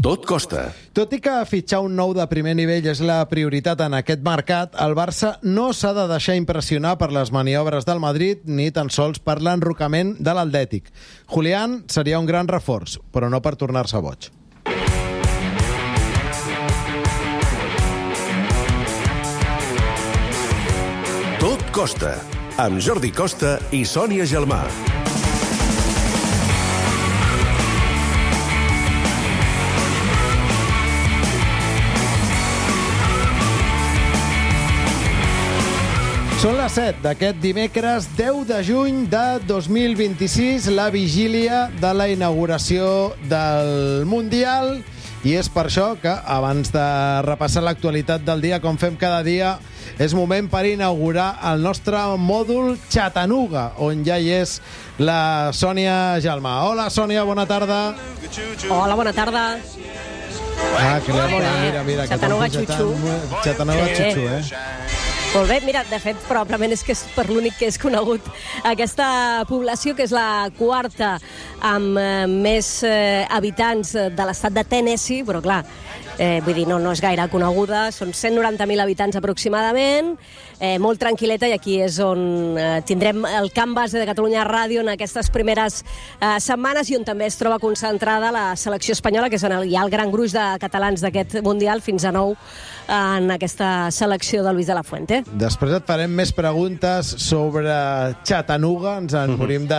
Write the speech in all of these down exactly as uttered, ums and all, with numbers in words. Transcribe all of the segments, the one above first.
Tot costa. Tot i que fitxar un nou de primer nivell és la prioritat en aquest mercat, el Barça no s'ha de deixar impressionar per les maniobres del Madrid ni tan sols per l'enrocament de l'Atlètic. Julián seria un gran reforç, però no per tornar-se boig. Tot costa, amb Jordi Costa i Sònia Gelmà. Són les set d'aquest dimecres deu de juny de dos mil vint-i-sis, la vigília de la inauguració del Mundial, i és per això que, abans de repassar l'actualitat del dia, com fem cada dia, és moment per inaugurar el nostre mòdul Chattanooga, on ja hi és la Sònia Gelmà. Hola, Sònia, bona tarda. Hola, bona tarda. Ah, que li ha... Mira, mira. Chattanooga Chuchu. Chattanooga Chuchu, eh? Molt bé, mira, de fet, probablement és que és per l'únic que és conegut aquesta població, que és la quarta amb eh, més eh, habitants de l'estat de Tennessee, però clar, eh, vull dir, no, no és gaire coneguda, són cent noranta mil habitants aproximadament, eh, molt tranquil·leta, i aquí és on eh, tindrem el camp base de Catalunya Ràdio en aquestes primeres eh, setmanes, i on també es troba concentrada la selecció espanyola, que és on hi ha el gran gruix de catalans d'aquest Mundial, fins a nou en aquesta selecció de Luis de la Fuente. Després et farem més preguntes sobre Chattanooga, ens en morim de,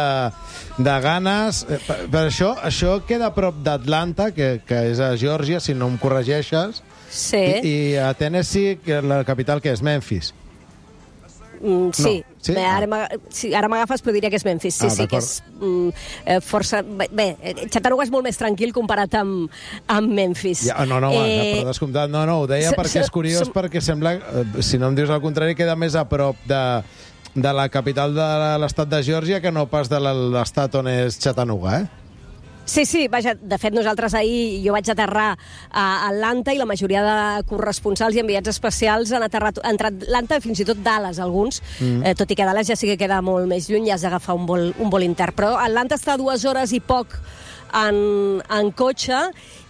de ganes. Per, per això, això queda a prop d'Atlanta, que, que és a Geòrgia, si no em corregeixes. Sí. I, i a Tennessee, que la capital, que és Memphis. Mm, sí. No. Sí? Bé, ara Ah. m'ag- sí, ara m'agafes, però diria que és Memphis. Sí, Ah, sí, que és mm, eh, força... Bé, bé, Chattanooga és molt més tranquil comparat amb, amb Memphis. Ja, no, no, eh... per descomptat. No, no, ho deia so- perquè és so- curiós, som- perquè sembla, eh, si no em dius el contrari, queda més a prop de, de la capital de l'estat de Geòrgia que no pas de l'estat on és Chattanooga, eh? Sí, sí, vaja, de fet nosaltres ahir, jo vaig aterrar a Atlanta i la majoria de corresponsals i enviats especials han aterrat entre Atlanta, fins i tot Dallas, alguns, mm. eh, tot i que Dallas ja sí que queda molt més lluny, ja has d'agafar un vol, un vol intern. Però Atlanta està a dues hores i poc en, en cotxe,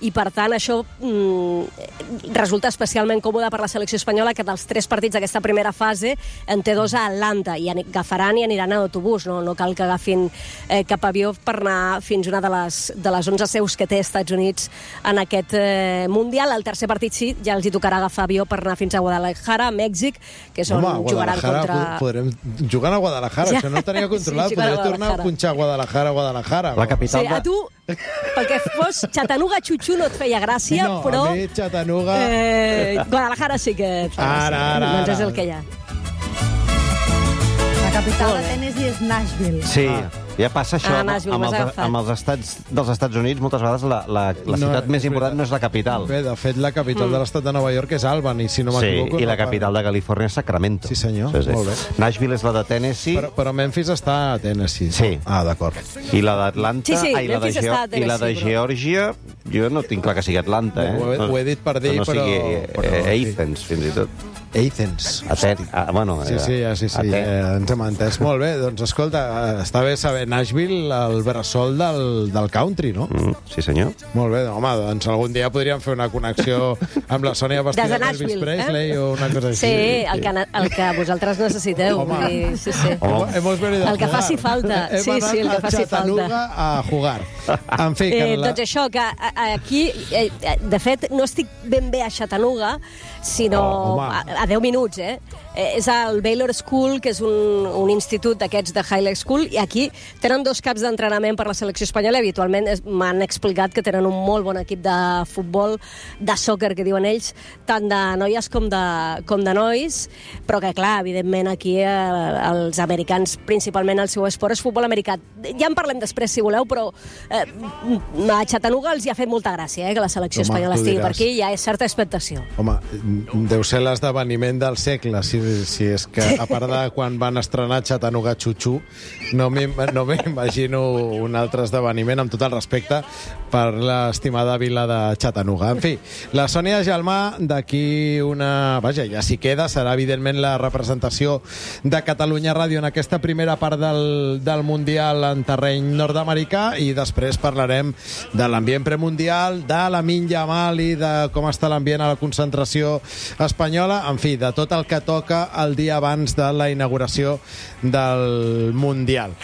i per tant això mm, resulta especialment còmode per la selecció espanyola, que dels tres partits d'aquesta primera fase en té dos a Atlanta, i agafaran i aniran a autobús, no, no cal que agafin eh, cap avió per anar fins a una de les, de les onze seus que té Estats Units en aquest eh, Mundial. El tercer partit sí, ja els hi tocarà agafar avió per anar fins a Guadalajara, a Mèxic, que és on Home, jugaran contra... Podrem jugar a Guadalajara, Ja. això no ho tenia controlat. Sí, jugar a Podré tornar a Guadalajara. punxar a Guadalajara, Guadalajara. La capital Sí, a tu, pel que fos, Chattanooga Chuchu no et feia gràcia, No, però... a mi Chattanooga... Eh, Guadalajara sí que et fa Ara, gràcia. ara, Doncs és ara. el que hi ha. La capital de Tennessee és Nashville. Sí, Ah. ja passa això Ah, amb, Nashville, amb, m'has els, agafat. amb els estats dels Estats Units. Moltes vegades la, la, la No, ciutat més és important veritat. no és la capital. Bé, de fet, la capital de l'estat de Nova York és Albany, si no Sí, m'equivoco. i no la fa- capital de Califòrnia és Sacramento. Sí, senyor, Sí, sí. molt bé. Nashville és la de Tennessee, Però, però Memphis està a Tennessee. Sí. Ah, d'acord. i la d'Atlanta... Sí, sí, ah, i la de, Memphis Geo- està a i la de Tennessee, però- Geòrgia, jo no tinc clar que sigui Atlanta, eh? Ho he- ho he dit per dir, que no però- sigui però- eh, Athens, fins i tot. Athens. Aten ah, bueno, Sí, sí, ja, sí, sí, Aten- ja ens hem entès. Molt bé, doncs escolta, està bé saber Nashville, el bressol del, del country, no? Mm, sí, senyor. Molt bé, home, doncs algun dia podríem fer una connexió amb la Sònia vestida Des de d'Elvis Nashville, Presley eh? o una cosa així. Sí, el que, el que vosaltres necessiteu. Home. Vull dir, sí, sí. Hemos, hemos venido a El que jugar. faci falta. Hem Sí, anat sí, el que a faci Chattanooga falta. a jugar. En fi, que Eh, la... doncs això, que a- a- aquí, eh, eh, de fet, no estic ben bé a Chattanooga, sinó Oh, home. a, a deu minuts, eh? eh? És al Baylor School, que és un, un institut d'aquests de High School, i aquí tenen dos caps d'entrenament per la selecció espanyola, i habitualment es- m'han explicat que tenen un molt bon equip de futbol, de sòquer, que diuen ells, tant de noies com de, com de nois, però que, clar, evidentment aquí eh, els americans, principalment el seu esport és futbol americà. Ja en parlem després, si voleu, però eh, a Chattanooga els hi ha fet molta gràcia, eh, que la selecció Home, espanyola tu estigui diràs. per aquí, i hi ha certa expectació. Home, deu ser l'esdeveniment l'esdeveniment del segle, si, si és que, a part de quan van estrenar Chattanooga Chuchu, no m'imagino no un altre esdeveniment, amb tot el respecte per l'estimada vila de Chattanooga. En fi, la Sònia Gelmà, d'aquí una... Vaja, ja s'hi queda, serà evidentment la representació de Catalunya Ràdio en aquesta primera part del, del Mundial en terreny nord-americà, i després parlarem de l'ambient premundial, de la Minja Mali, de com està l'ambient a la concentració espanyola, en fi, de tot el que toca el dia abans de la inauguració del Mundial.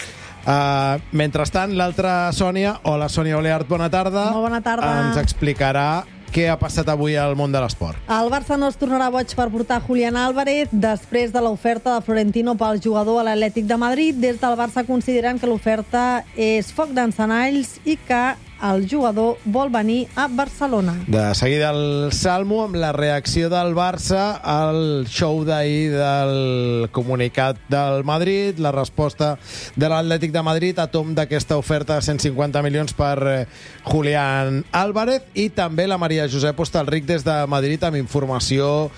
Uh, mentrestant, l'altra Sònia, hola Sònia Oleart, bona tarda. Molt bona tarda. Ens explicarà què ha passat avui al món de l'esport. El Barça no es tornarà boig per portar Julián Álvarez després de l'oferta de Florentino pel jugador a l'Atlètic de Madrid. Des del Barça consideren que l'oferta és foc d'encenalls i que el jugador vol venir a Barcelona. De seguida el Salmo amb la reacció del Barça al show d'ahir del comunicat del Madrid, la resposta de l'Atlètic de Madrid a tom d'aquesta oferta de cent cinquanta milions per Julián Álvarez, i també la Maria Josep Hostalric des de Madrid amb informació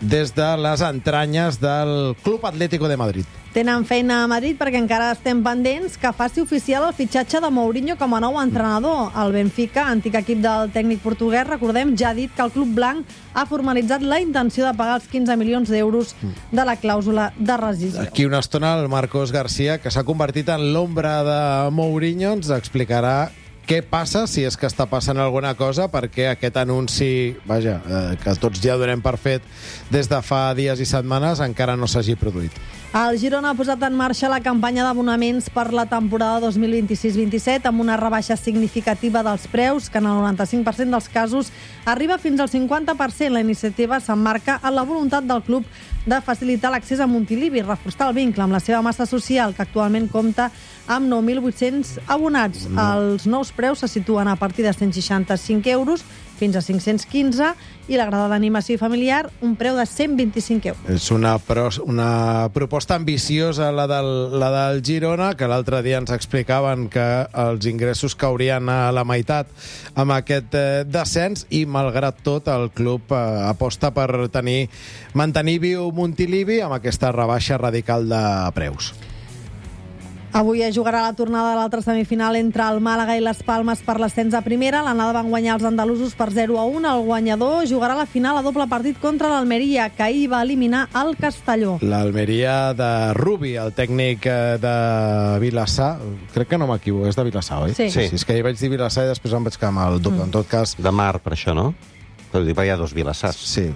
des de les entranyes del Club Atlético de Madrid. Tenen feina a Madrid perquè encara estem pendents que faci oficial el fitxatge de Mourinho com a nou entrenador. El Benfica, antic equip del tècnic portuguès, recordem, ja ha dit que el club blanc ha formalitzat la intenció de pagar els quinze milions d'euros de la clàusula de rescissió. Aquí una estona el Marcos García, que s'ha convertit en l'ombra de Mourinho, ens explicarà què passa, si és que està passant alguna cosa, perquè aquest anunci, vaja, eh, que tots ja donem per fet des de fa dies i setmanes, encara no s'hagi produït. El Girona ha posat en marxa la campanya d'abonaments per la temporada dos mil vint-i-sis vint-i-set amb una rebaixa significativa dels preus, que en el noranta-cinc per cent dels casos arriba fins al cinquanta per cent. La iniciativa s'emmarca en la voluntat del club de facilitar l'accés a Montilivi i reforçar el vincle amb la seva massa social, que actualment compta amb nou mil vuit-cents abonats. Els nous preus se situen a partir de cent seixanta-cinc euros fins a cinc-cents quinze, i la grada d'animació familiar un preu de cent vint-i-cinc euros. És una, pro, una proposta ambiciosa la del, la del Girona, que l'altre dia ens explicaven que els ingressos caurien a la meitat amb aquest eh, descens, i malgrat tot el club eh, aposta per tenir mantenir viu Montilivi amb aquesta rebaixa radical de preus. Avui es jugarà la tornada de l'altra semifinal entre el Màlaga i les Palmes per l'ascens a primera. L'anada van guanyar els andalusos per zero a un. El guanyador jugarà la final a doble partit contra l'Almeria, que ahir va eliminar el Castelló. L'Almeria de Rubi, el tècnic de Vilassar. Crec que no m'equivoco, és de Vilassar, oi? Sí. Sí. sí. És que ahir vaig dir Vilassar i després em vaig quedar amb el dubte. Mm. En tot cas... De mar, per això, no? Però dic, hi ha dos Vilassars. Sí.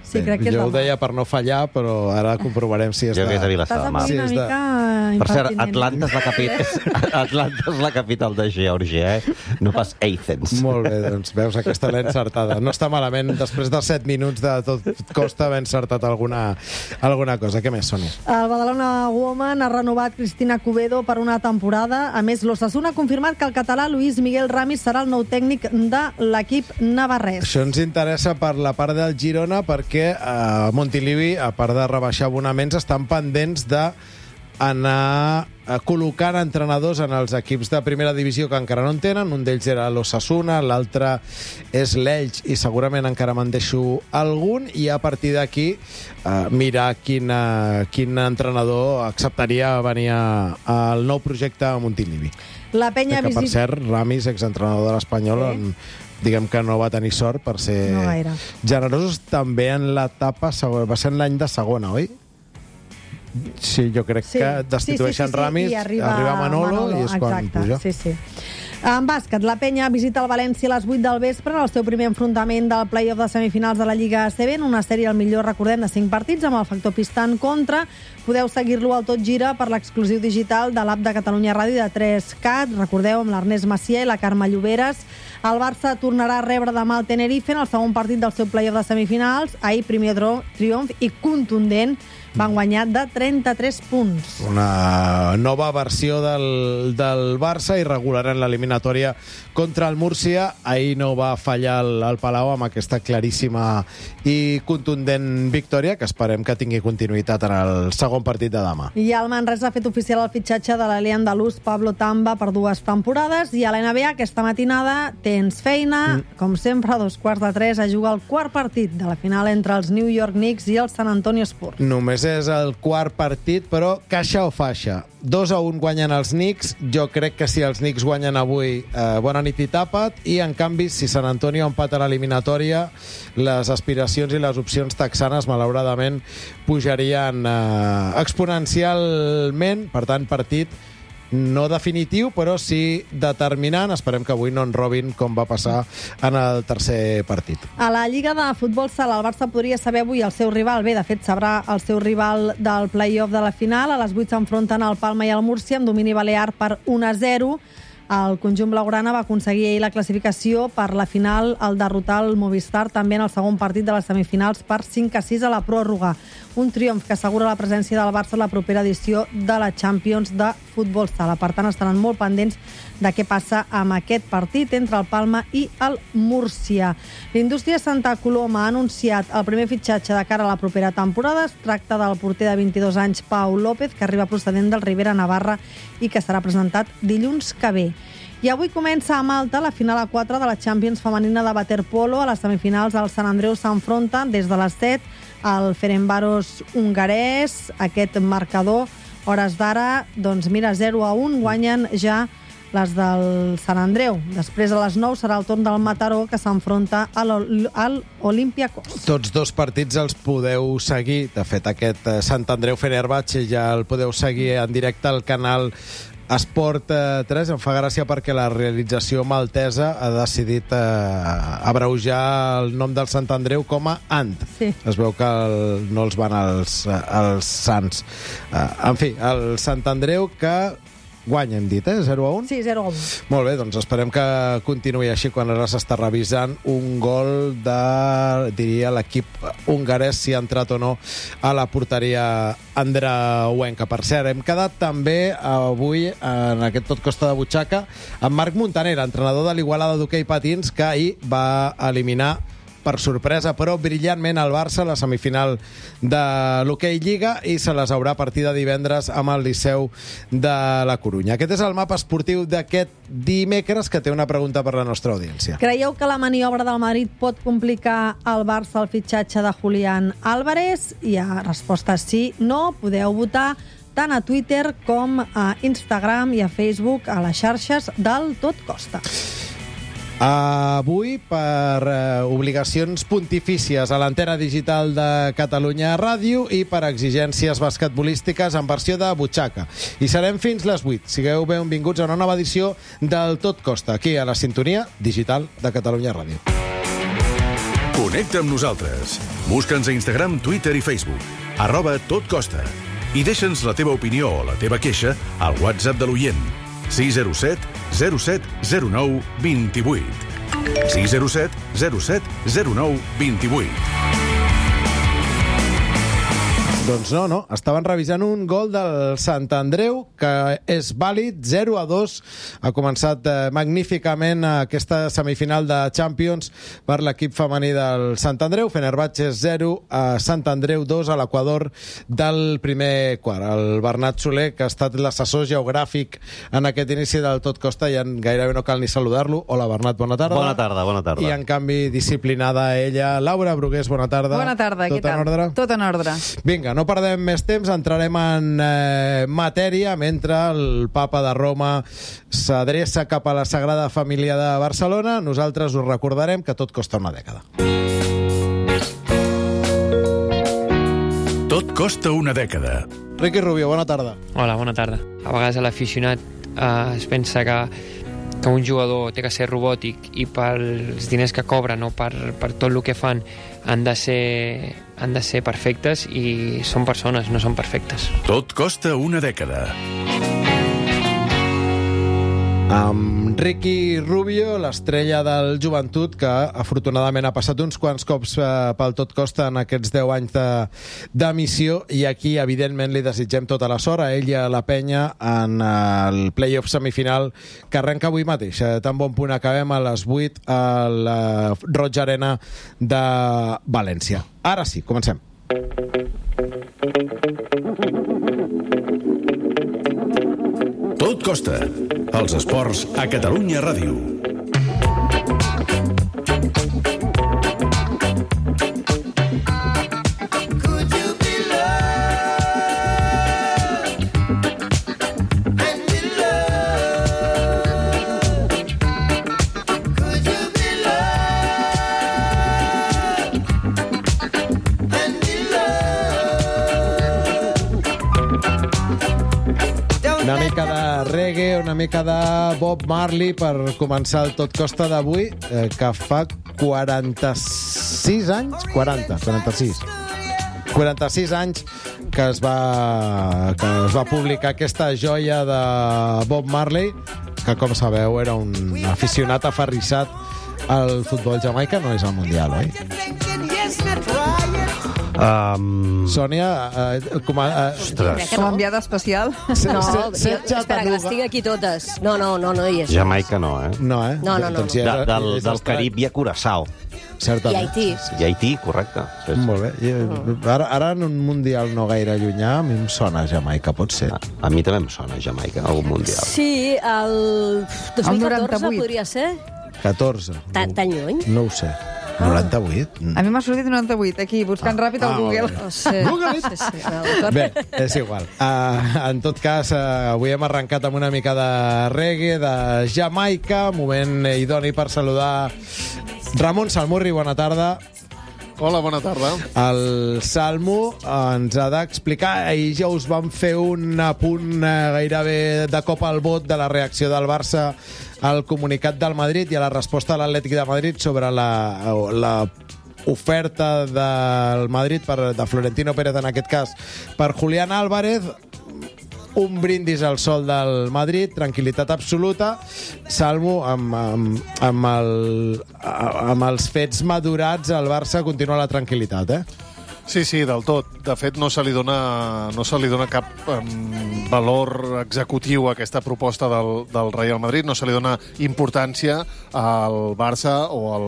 Sí, crec que és jo ho demà. deia per no fallar, però ara comprovarem si és Jo de... que és de Vilassar Estàs de Mar. avui una Sí, és de- mica Per cert, impertinent. Atlanta és la capital, Atlanta és la capital de Geòrgia, eh? No pas Athens. Molt bé, doncs veus, aquesta l'he encertada. No està malament, després de set minuts de tot costa haver encertat alguna, alguna cosa. Què més, Sònia? El Badalona Woman ha renovat Cristina Cubedo per una temporada. A més, l'Osasuna ha confirmat que el català Luis Miguel Ramis serà el nou tècnic de l'equip navarrès. Això ens interessa per la part del Girona, perquè a Montilivi, a part de rebaixar abonaments, estan pendents de anar col·locant entrenadors en els equips de primera divisió que encara no en tenen. Un d'ells era l'Osasuna, l'altre és l'Elx, i segurament encara me'n deixo algun, i a partir d'aquí eh, mirar quin, eh, quin entrenador acceptaria venir a- al nou projecte a Montilivi. La penya Que, per visita... cert, Ramis, exentrenador de l'Espanyol, Sí. en, diguem que no va tenir sort per ser No gaire. generosos també en l'etapa segona. Va ser en l'any de segona, oi? Sí, jo crec Sí. que destitueixen sí, sí, sí, sí. Ramis, I arriba, arriba Manolo, Manolo, i és quan exacte, puja. sí, sí. En bàsquet, la penya visita el València a les vuit del vespre en el seu primer enfrontament del play-off de semifinals de la Lliga A C B, en una sèrie al millor, recordem, de cinc partits, amb el factor pista en contra. Podeu seguir-lo al Tot Gira per l'exclusiu digital de l'app de Catalunya Ràdio de tres cat, recordeu, amb l'Ernest Macià i la Carme Lloberes. El Barça tornarà a rebre demà el Tenerife en el segon partit del seu play-off de semifinals. Ahir, primer triomf i contundent van guanyar de trenta-tres punts. Una nova versió del, del Barça, irregular en l'eliminatòria contra el Múrcia. Ahir no va fallar el, el Palau amb aquesta claríssima i contundent victòria, que esperem que tingui continuïtat en el segon partit de demà. I el Manresa ha fet oficial el fitxatge de l'alè andalús Pablo Tamba per dues temporades, i a la N B A aquesta matinada tens feina, mm. com sempre, a dos quarts de tres a jugar el quart partit de la final entre els New York Knicks i el San Antonio Spurs. Només és el quart partit, però caixa o faixa. dos a un guanyen els Knicks. Jo crec que si els Knicks guanyen avui, eh, bona nit i tapa't, i en canvi, si San Antonio empata l'eliminatòria, les aspiracions i les opcions texanes, malauradament, pujarien eh, exponencialment. Per tant, partit no definitiu, però sí determinant. Esperem que avui no en robin com va passar en el tercer partit. A la Lliga de Futbol Sala, el Barça podria saber avui el seu rival. Bé, de fet, sabrà el seu rival del play-off de la final. A les vuit s'enfronten el Palma i el Múrcia amb domini balear per un a zero. El conjunt blaugrana va aconseguir ahir la classificació per la final al derrotar el Movistar també en el segon partit de les semifinals per cinc a sis a la pròrroga. Un triomf que assegura la presència del Barça a la propera edició de la Champions de Futbol Sala. Per tant, estaran molt pendents de què passa amb aquest partit entre el Palma i el Múrcia. L'Indústria Santa Coloma ha anunciat el primer fitxatge de cara a la propera temporada. Es tracta del porter de vint-i-dos anys, Pau López, que arriba procedent del Ribera Navarra i que serà presentat dilluns que ve. I avui comença a Malta la final a quatre de la Champions femenina de waterpolo. A les semifinals el Sant Andreu s'enfronta des de les set al Ferencváros hongarès. Aquest marcador, hores d'ara, doncs mira, zero a un, guanyen ja les del Sant Andreu. Després, a les nou, serà el torn del Mataró, que s'enfronta a l'Olympiacos. Tots dos partits els podeu seguir. De fet, aquest Sant Andreu-Fenerbahçe ja el podeu seguir en directe al canal Esport tres. Em fa gràcia perquè la realització maltesa ha decidit eh, abreujar el nom del Sant Andreu com a Ant. Sí. Es veu que el, no els van als, als Sants. Eh, en fi, el Sant Andreu que guanya, hem dit, eh? zero a un? Sí, zero a un. Molt bé, doncs esperem que continuï així quan ara s'està revisant un gol de, diria, l'equip hongarès, si ha entrat o no a la porteria andreuenca. Per cert, hem quedat també avui en aquest Tot Costa de Butxaca amb Marc Montaner, entrenador de l'Igualada d'hoquei patins, que ahir va eliminar per sorpresa, però brillantment, el Barça a la semifinal de l'Hoquei Lliga, i se les haurà a partir de divendres amb el Liceu de la Corunya. Aquest és el mapa esportiu d'aquest dimecres, que té una pregunta per la nostra audiència. Creieu que la maniobra del Madrid pot complicar al Barça el fitxatge de Julián Álvarez? I a resposta sí, no. Podeu votar tant a Twitter com a Instagram i a Facebook, a les xarxes del Tot Costa. Avui, per eh, obligacions pontifícies a l'antena digital de Catalunya Ràdio i per exigències basquetbolístiques en versió de butxaca. I serem fins les vuit. Sigueu benvinguts a una nova edició del Tot Costa, aquí a la sintonia digital de Catalunya Ràdio. Connecta amb nosaltres. Busca'ns a Instagram, Twitter i Facebook. Arroba Tot Costa. I deixa'ns la teva opinió o la teva queixa al WhatsApp de l'oient. sis zero set zero set zero nou dos vuit. sis zero set zero set zero nou dos vuit. Doncs no, no. Estaven revisant un gol del Sant Andreu, que és vàlid, zero a dos. Ha començat eh, magníficament aquesta semifinal de Champions per l'equip femení del Sant Andreu. Fenerbahçe zero, a Sant Andreu dos, a l'equador del primer quart. El Bernat Soler, que ha estat l'assessor geogràfic en aquest inici del Tot Costa, i en gairebé no cal ni saludar-lo. Hola, Bernat, bona tarda. Bona tarda, bona tarda. I, en canvi, disciplinada ella. Laura Brugués, bona tarda. Bona tarda, Tot què tal? en ordre? Tot en ordre. Vinga, no perdem més temps, entrarem en eh, matèria mentre el papa de Roma s'adreça cap a la Sagrada Família de Barcelona. Nosaltres us recordarem que tot costa una dècada. Tot costa una dècada. Riqui Rubio, bona tarda. Hola, bona tarda. A vegades l'aficionat eh, es pensa que, que un jugador té que ser robòtic i pels diners que cobren o per, per tot el que fan han de ser, han de ser perfectes, i són persones, no són perfectes. Tot costa una dècada. amb Ricky Rubio, l'estrella del Joventut, que afortunadament ha passat uns quants cops eh, pel Tot Costa en aquests deu anys d'emissió, i aquí evidentment li desitgem tota la sort a ell i a la penya en el play-off semifinal que arrenca avui mateix. Eh, tan bon punt acabem a les vuit a la Roig Arena de València. Ara sí, comencem. Tot Costa, els esports a Catalunya Ràdio. Una mica de reggae, una mica de Bob Marley per començar el Tot Costa d'avui, eh, que fa quaranta-sis anys, quaranta, quaranta-sis, quaranta-sis anys que es va, que es va publicar aquesta joia de Bob Marley, que, com sabeu, era un aficionat aferrissat al futbol. Jamaica no és al Mundial, oi? Um... Sònia, eh, com a... Eh, Ostres. Com a enviada especial. se, No, se, jo, se, espera, que les tinc aquí totes. No, no, no, no hi és. Jamaica no, eh? No, eh? No, no, no, Doncs no. ja De, és- del, és del estrany. Carib hi ha Curaçao. I Certament. Haití. I Haití, correcte. Sí, sí. Molt bé. I, ara, ara en un mundial no gaire llunyà, a mi em sona Jamaica, pot ser. A, a mi també em sona Jamaica, algun mundial. Sí, el dos mil catorze noranta-vuit. podria ser. catorze. Tan, tan lluny? No ho sé. noranta-vuit? A mi m'ha sortit noranta-vuit, aquí, buscant Ah. ràpid al Ah, Google. molt bé. Oh, sí. Google it. Sí, sí, no, d'acord. Bé, és igual. Uh, en tot cas, uh, avui hem arrencat amb una mica de reggae, de Jamaica, moment idoni per saludar Ramon Salmurri, bona tarda. Hola, bona tarda. El Salmo ens ha d'explicar, ahir ja us vam fer un apunt eh, gairebé de cop al bot de la reacció del Barça al comunicat del Madrid i a la resposta de l'Atlètic de Madrid sobre la, la oferta del Madrid, per, de Florentino Pérez en aquest cas, per Julián Álvarez. Un brindis al sol del Madrid, tranquil·litat absoluta. Salmo, amb, amb, amb, el, amb els fets madurats, el Barça continua la tranquil·litat, eh? Sí, sí, del tot. De fet, no se li dona, no se li dona cap um, valor executiu a aquesta proposta del, del Real Madrid, no se li dona importància al Barça o al,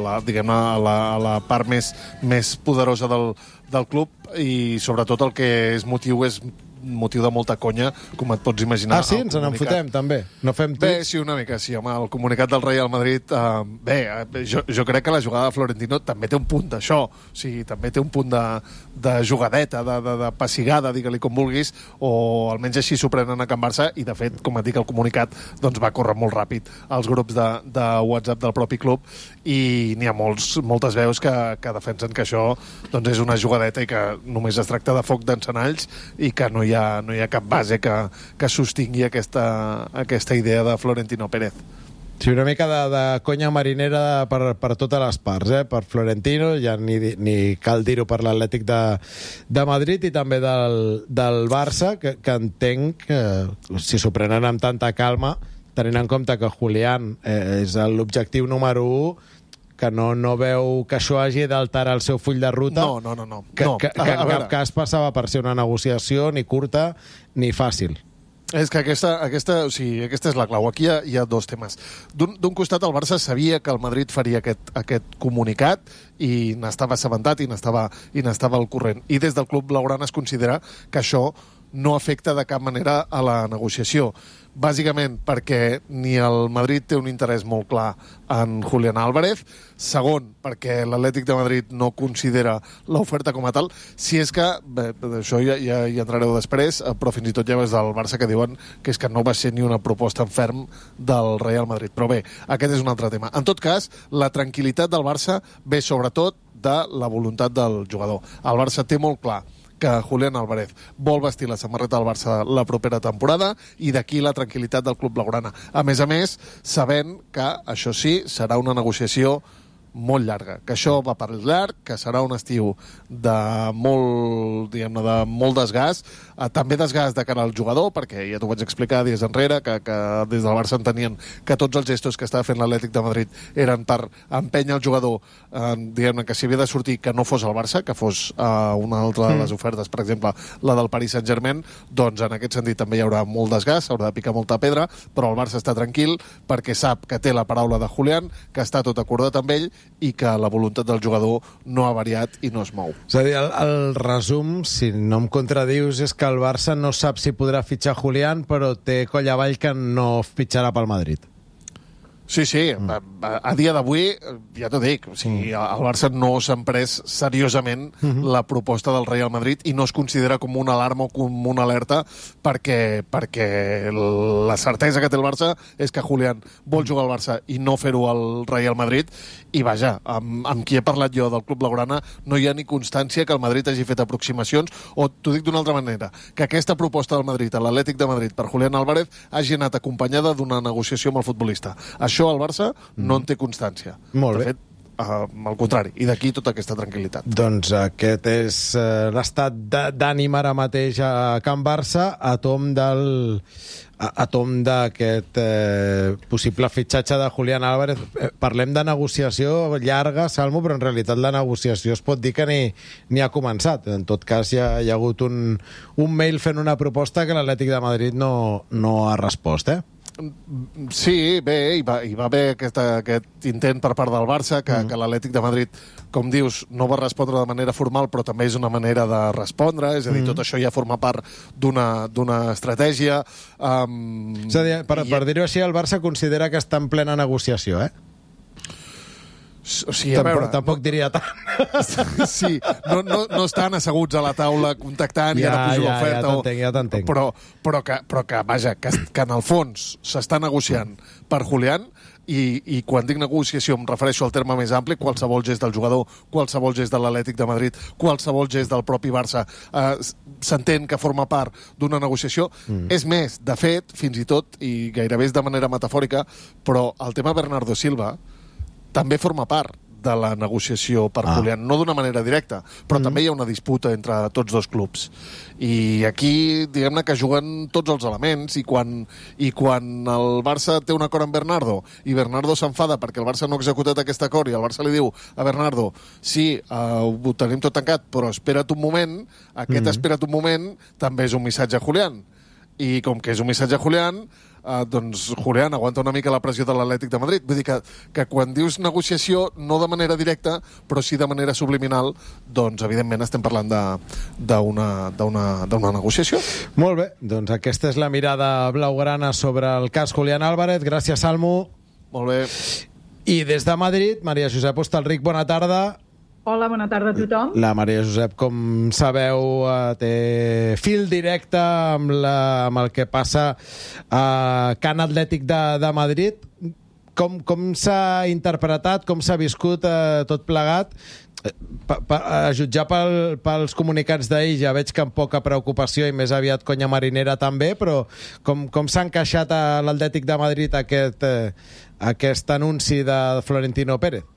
la, diguem a, la, a la part més, més poderosa del, del club, i sobretot el que és motiu és motiu de molta conya, com et pots imaginar. Ah, sí? Ens en fotem, també. No fem Bé, tuits? sí, una mica, sí, home, el comunicat del Real Madrid, eh, bé, eh, jo, jo crec que la jugada de Florentino també té un punt d'això, o sigui, també té un punt de, de jugadeta, de, de, de pessigada, digue-li com vulguis, o almenys així s'ho prenen a Can Barça, i de fet, com et dic, el comunicat doncs, va córrer molt ràpid als grups de, de WhatsApp del propi club, i n'hi ha molts, moltes veus que, que defensen que això doncs, és una jugadeta i que només es tracta de foc d'encenalls i que no hi ha, no hi ha cap base que, que sostingui aquesta, aquesta idea de Florentino Pérez. Sí, una mica de, de conya marinera per, per totes les parts, eh? Per Florentino, ja ni, ni cal dir-ho per l'Atlètic de, de Madrid, i també del, del Barça, que, que entenc que si s'ho prenen amb tanta calma, tenint en compte que Julián eh, és l'objectiu número u, que no, no veu que això hagi d'alterar el seu full de ruta. No, no, no. no. Que, no. que, que A- a en veure, cap cas passava per ser una negociació ni curta ni fàcil. És que aquesta, aquesta, o sigui, aquesta és la clau. Aquí hi ha, hi ha dos temes. D'un d'un costat, el Barça sabia que el Madrid faria aquest, aquest comunicat i n'estava assabentat i n'estava i n'estava al corrent. I des del club blaugrana es considera que això no afecta de cap manera a la negociació. Bàsicament perquè ni el Madrid té un interès molt clar en Julián Álvarez, segon, perquè l'Atlètic de Madrid no considera l'oferta com a tal, si és que, bé, això ja, ja hi entrareu després, però fins i tot ja ves del Barça que diuen que és que no va ser ni una proposta en ferm del Real Madrid. Però bé, aquest és un altre tema. En tot cas, la tranquil·litat del Barça ve sobretot de la voluntat del jugador. El Barça té molt clar que Julián Álvarez vol vestir la samarreta del Barça la propera temporada, i d'aquí la tranquil·litat del club blaugrana. A més a més, sabent que, això sí, serà una negociació molt llarga, que això va per llarg, que serà un estiu de molt, diguem-ne, de molt desgast, eh, també desgast de cara al jugador, perquè ja t'ho vaig explicar dies enrere, que, que des del Barça entenien que tots els gestos que estava fent l'Atlètic de Madrid eren per empènyer el jugador, eh, diguem-ne, que si havia de sortir, que no fos el Barça, que fos eh, una altra de les ofertes, per exemple, la del Paris Saint-Germain, doncs en aquest sentit també hi haurà molt desgast, s'haurà de picar molta pedra, però el Barça està tranquil perquè sap que té la paraula de Julián, que està tot acordat amb ell i que la voluntat del jugador no ha variat i no es mou. És a dir, el, el resum, si no em contradius, és que el Barça no sap si podrà fitxar Julián, però té coll avall que no fitxarà pel Madrid. Sí, sí, mm. a, a dia d'avui, ja t'ho dic, o sigui, el Barça no s'ha pres seriosament mm-hmm. la proposta del Real Madrid i no es considera com una alarma o com una alerta perquè, perquè la certesa que té el Barça és que Julián vol jugar al Barça i no fer-ho al Real Madrid, i vaja, amb, amb qui he parlat jo del Club Blaugrana no hi ha ni constància que el Madrid hagi fet aproximacions, o t'ho dic d'una altra manera, que aquesta proposta del Madrid a l'Atlètic de Madrid per Julián Álvarez hagi anat acompanyada d'una negociació amb el futbolista. Això el Barça no en té constància. Molt bé. De fet, uh, al contrari, i d'aquí tota aquesta tranquil·litat. Doncs aquest és uh, l'estat d'ànim ara mateix a Can Barça, a tom del... a, a tom d'aquest eh, possible fitxatge de Julián Álvarez. Eh, parlem de negociació llarga, Salmo, però en realitat la negociació es pot dir que ni, ni ha començat. En tot cas, hi ha, hi ha hagut un, un mail fent una proposta que l'Atlètic de Madrid no, no ha respost, eh? Sí, bé, hi va, hi va haver aquest, aquest intent per part del Barça, que, mm. que l'Atlètic de Madrid, com dius, no va respondre de manera formal, però també és una manera de respondre, és a dir, mm. tot això ja forma part d'una d'una estratègia. Um, és a dir, per, i... per dir-ho així, el Barça considera que està en plena negociació, eh? O sigui, a veure, tampoc diria tant. Sí, no, no, no estan asseguts a la taula contactant ja, i ara pujo ja, l'oferta. Ja t'entenc, ja t'entenc. Però, però, que, però que, vaja, que, que en el fons s'està negociant per Julián, i, i quan dic negociació em refereixo al terme més ampli, qualsevol gest del jugador, qualsevol gest de l'Atlètic de Madrid, qualsevol gest del propi Barça, eh, s'entén que forma part d'una negociació. Mm. És més, de fet, fins i tot, i gairebé és de manera metafòrica, però el tema Bernardo Silva també forma part de la negociació per ah. Julián, no d'una manera directa, però mm. també hi ha una disputa entre tots dos clubs. I aquí, diguem-ne, que juguen tots els elements, i quan, i quan el Barça té un acord amb Bernardo, i Bernardo s'enfada perquè el Barça no ha executat aquest acord, i el Barça li diu a Bernardo, sí, uh, ho tenim tot tancat, però espera't un moment, aquest mm. espera't un moment també és un missatge a Julián. I com que és un missatge a Julián, Uh, doncs Julián aguanta una mica la pressió de l'Atlètic de Madrid. Vull dir que, que quan dius negociació, no de manera directa, però sí de manera subliminal, doncs evidentment estem parlant d'una negociació. Molt bé, doncs aquesta és la mirada blaugrana sobre el cas Julián Álvarez. Gràcies, Salmo. Molt bé. I des de Madrid, Maria Josep Hostalric, bona tarda. Hola, bona tarda a tothom. La Maria Josep, com sabeu, té fil directe amb, la, amb el que passa a Can Atlètic de, de Madrid. Com, com s'ha interpretat, com s'ha viscut eh, tot plegat? Pa, pa, a jutjar pel, pels comunicats d'ahir ja veig que amb poca preocupació i més aviat conya marinera també, però com, com s'ha encaixat a l'Atlètic de Madrid aquest, eh, aquest anunci de Florentino Pérez?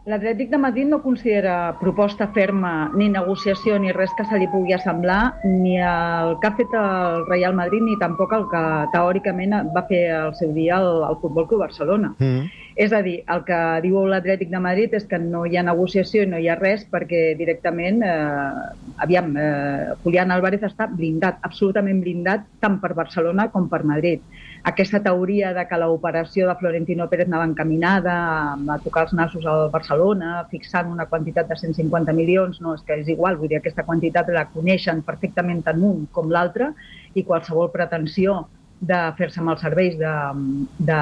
L'Atlètic de Madrid no considera proposta ferma ni negociació ni res que se li pugui assemblar ni el que ha fet el Real Madrid ni tampoc el que teòricament va fer al seu dia el, el Futbol Club Barcelona. Mm. És a dir, el que diu l'Atlètic de Madrid és que no hi ha negociació i no hi ha res perquè directament, eh, aviam, eh, Julián Álvarez està blindat, absolutament blindat, tant per Barcelona com per Madrid. Aquesta teoria de que l'operació de Florentino Pérez anava encaminada a tocar els nassos al Barcelona, fixant una quantitat de cent cinquanta milions, no, és que és igual, vull dir, aquesta quantitat la coneixen perfectament tant un com l'altre, i qualsevol pretensió de fer-se amb els serveis de, de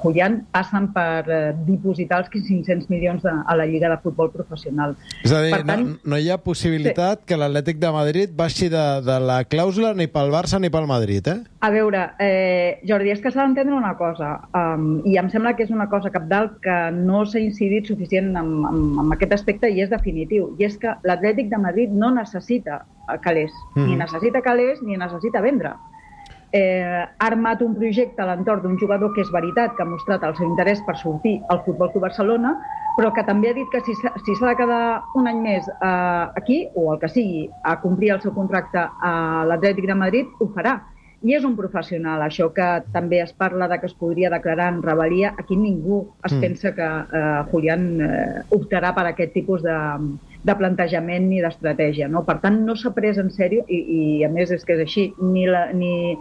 Julián passen per eh, dipositar els cinc-cents milions de, a la Lliga de Futbol Professional. És a dir, tant, no, no hi ha possibilitat sí. que l'Atlètic de Madrid baixi de, de la clàusula ni pel Barça ni pel Madrid, eh? A veure, eh, Jordi, és que s'ha d'entendre una cosa, um, i em sembla que és una cosa cabdal que no s'ha incidit suficient en, en, en aquest aspecte i és definitiu, i és que l'Atlètic de Madrid no necessita calés, mm. ni necessita calés ni necessita vendre. Eh, ha armat un projecte a l'entorn d'un jugador que és veritat, que ha mostrat el seu interès per sortir al Futbol Club Barcelona, però que també ha dit que si s'ha si s'ha de quedar un any més eh, aquí, o el que sigui, a complir el seu contracte a l'Atlètic de Madrid, ho farà. I és un professional. Això que també es parla de que es podria declarar en rebel·lia, aquí ningú es mm. pensa que eh, Julián eh, optarà per aquest tipus de, de plantejament ni d'estratègia. No? Per tant, no s'ha pres en sèrio, i, i a més és que és així, ni, la, ni,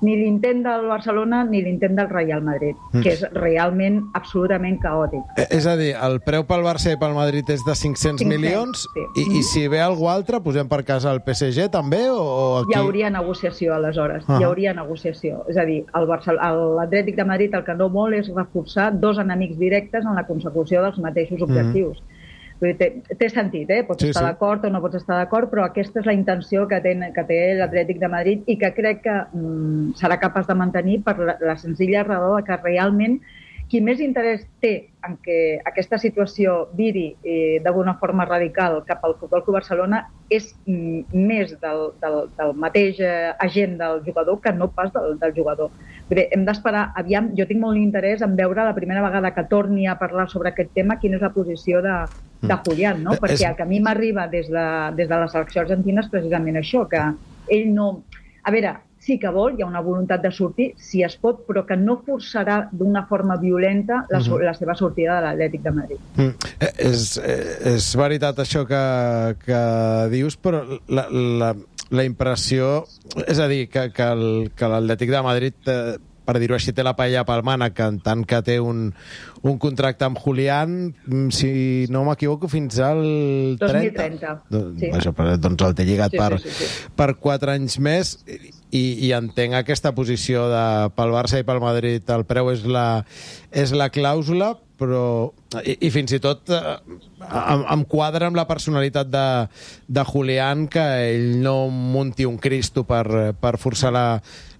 ni l'intent del Barcelona ni l'intent del Real Madrid, mm. que és realment absolutament caòtic. Eh, és a dir, el preu pel Barça i pel Madrid és de cinc-cents milions, sí. i, i si ve algú altre, posem per casa el P S G també, o, o aquí? Hi hauria negociació, aleshores. Ah. Hi hauria negociació. És a dir, l'Atlètic de Madrid el que no vol és reforçar dos enemics directes en la consecució dels mateixos objectius. Mm. Vull dir, té, té sentit, eh? Pots sí, estar sí. d'acord o no pots estar d'acord, però aquesta és la intenció que té, que té l'Atlètic de Madrid i que crec que mm, serà capaç de mantenir per la, la senzilla raó que realment qui més interès té en que aquesta situació viri eh, d'alguna forma radical cap al Futbol Club Barcelona és mm, més del, del, del mateix eh, agent del jugador que no pas del, del jugador. Bé, hem d'esperar, aviam, jo tinc molt interès en veure la primera vegada que torni a parlar sobre aquest tema quina és la posició de, de Julián, no? Perquè el que a mi m'arriba des, de, des de la selecció argentina és precisament això, que ell no... A veure, sí que vol, hi ha una voluntat de sortir, si es pot, però que no forçarà d'una forma violenta la, uh-huh. la seva sortida de l'Atlètic de Madrid. Mm. Eh, és, eh, és veritat això que, que dius, però la, la, la impressió... És a dir, que, que, el, que l'Atlètic de Madrid... Eh, per dir-ho així, té la paella pel mànec, en tant que té un, un contracte amb Julián, si no m'equivoco, fins al trenta. dos mil trenta. Doncs, sí. això, doncs el té lligat sí, per, sí, sí, sí. per quatre anys més, i, i entenc aquesta posició de, pel Barça i pel Madrid, el preu és la, és la clàusula, però i, i fins i tot eh, em, em quadra amb la personalitat de, de Julián, que ell no munti un Cristo per, per forçar la,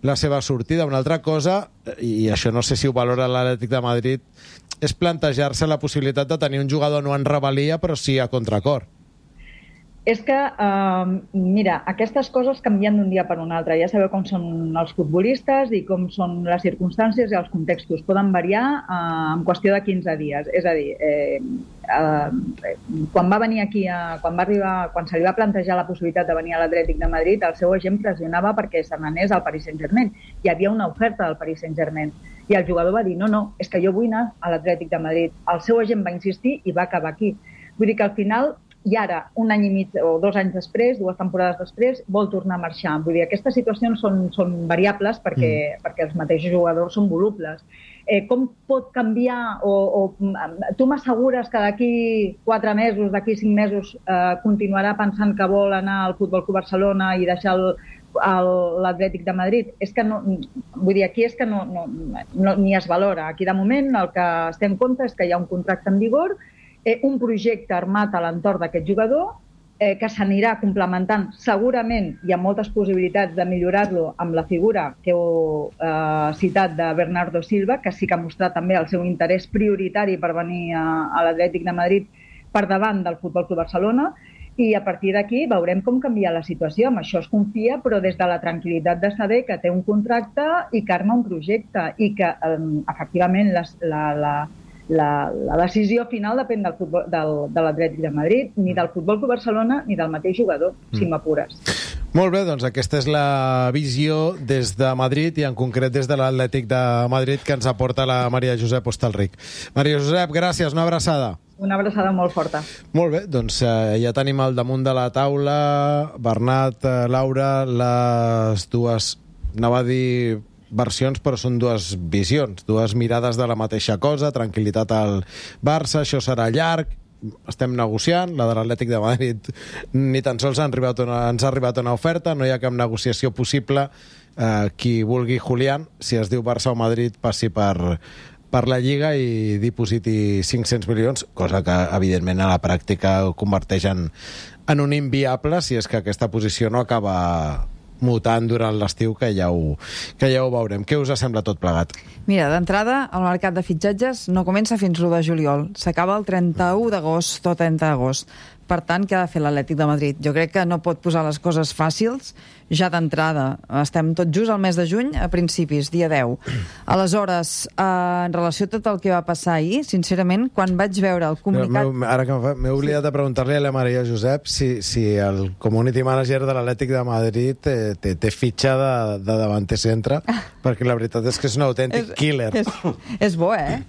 la seva sortida. Una altra cosa, i això no sé si ho valora l'Atlètic de Madrid, és plantejar-se la possibilitat de tenir un jugador no en rebel·lia, però sí a contracor. És que, eh, mira, aquestes coses canvien d'un dia per un altre. Ja sabeu com són els futbolistes i com són les circumstàncies i els contextos. Poden variar eh, en qüestió de quinze dies. És a dir, eh, eh, quan va venir aquí, a, quan, va arribar, quan se li va plantejar la possibilitat de venir a l'Atlètic de Madrid, el seu agent pressionava perquè se n'anés al Paris Saint-Germain. Hi havia una oferta del Paris Saint-Germain. I el jugador va dir, no, no, és que jo vull anar a l'Atlètic de Madrid. El seu agent va insistir i va acabar aquí. Vull dir que al final... I ara, un any i mig o dos anys després, dues temporades després, vol tornar a marxar. Vull dir, aquestes situacions són, són variables perquè, mm. perquè els mateixos jugadors són volubles. Eh, com pot canviar o, o tu m'assegures que d'aquí quatre mesos, d'aquí cinc mesos eh, continuarà pensant que vol anar al Futbol Club Barcelona i deixar el, el, l'Atlètic de Madrid? És que no, vull dir, aquí és que no, no, no, ni es valora. Aquí de moment el que es té en compte és que hi ha un contracte en vigor, Eh, un projecte armat a l'entorn d'aquest jugador eh, que s'anirà complementant segurament, hi ha moltes possibilitats de millorar-lo amb la figura que heu eh, citat de Bernardo Silva, que sí que ha mostrat també el seu interès prioritari per venir a, a l'Atlètic de Madrid per davant del Futbol Club Barcelona, i a partir d'aquí veurem com canvia la situació. Amb això es confia, però des de la tranquil·litat de saber que té un contracte i que arma un projecte i que eh, efectivament les, la, la La, la decisió final depèn del futbol, del, de l'Atlètic de Madrid, ni del Futbol Club Barcelona ni del mateix jugador, mm. si m'apures. Molt bé, doncs aquesta és la visió des de Madrid i en concret des de l'Atlètic de Madrid que ens aporta la Maria Josep Hostalric. Maria Josep, gràcies, una abraçada. Una abraçada molt forta. Molt bé, doncs eh, ja tenim al damunt de la taula, Bernat, eh, Laura, les dues, anava a dir... versions, però són dues visions, dues mirades de la mateixa cosa, tranquil·litat al Barça, això serà llarg, estem negociant, la de l'Atlètic de Madrid ni tan sols han arribat una, ens ha arribat una oferta, no hi ha cap negociació possible, eh, qui vulgui Julián, si es diu Barça o Madrid, passi per, per la Lliga i dipositi cinc-cents milions, cosa que evidentment a la pràctica ho converteix en, en un inviable si és que aquesta posició no acaba mutant durant l'estiu, que ja ho, que ja ho veurem. Què us sembla tot plegat? Mira, d'entrada, el mercat de fitxatges no comença fins l'u de juliol. S'acaba el trenta-u d'agost o trenta d'agost. Per tant, què ha de fer l'Atlètic de Madrid? Jo crec que no pot posar les coses fàcils ja d'entrada. Estem tot just al mes de juny, a principis, dia deu. Aleshores, eh, en relació a tot el que va passar ahir, sincerament, quan vaig veure el comunicat... M'he- Ara que m'he oblidat de preguntar-li a la Maria Josep si, si el community manager de l'Atlètic de Madrid té, té, té fitxa de, de davanter centre, perquè la veritat és que és un autèntic killer. És, és bo, eh?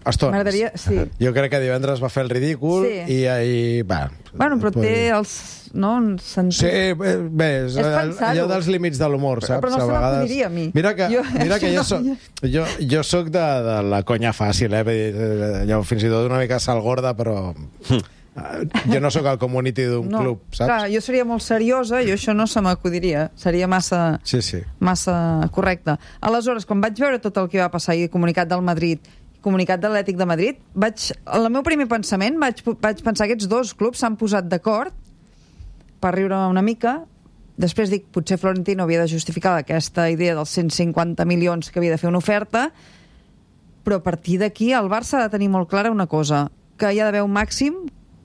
Estones. M'agradaria... Sí. Jo crec que divendres va fer el ridícul Sí. i ahir... Va, Bueno, però té els... No, sentit... Sí, bé, bé és, És pensar-ho. allò dels límits de l'humor, saps? Però no se m'acudiria a mi. Mira que, Jo- mira que jo, no, soc, jo, jo soc de, de la conya fàcil, eh? Vull dir, allò, fins i tot una mica salgorda, però... Jo no sóc el community d'un no. club, saps? Clar, jo seria molt seriosa i això no se m'acudiria. Seria massa... Sí, sí. massa correcte. Aleshores, quan vaig veure tot el que va passar ahir, comunicat del Madrid, comunicat de l'Atlètic de Madrid, vaig, el meu primer pensament vaig, vaig pensar que aquests dos clubs s'han posat d'acord per riure una mica. Després dic, potser Florentino havia de justificar aquesta idea dels cent cinquanta milions que havia de fer una oferta, però a partir d'aquí el Barça ha de tenir molt clara una cosa, que hi ha d'haver un màxim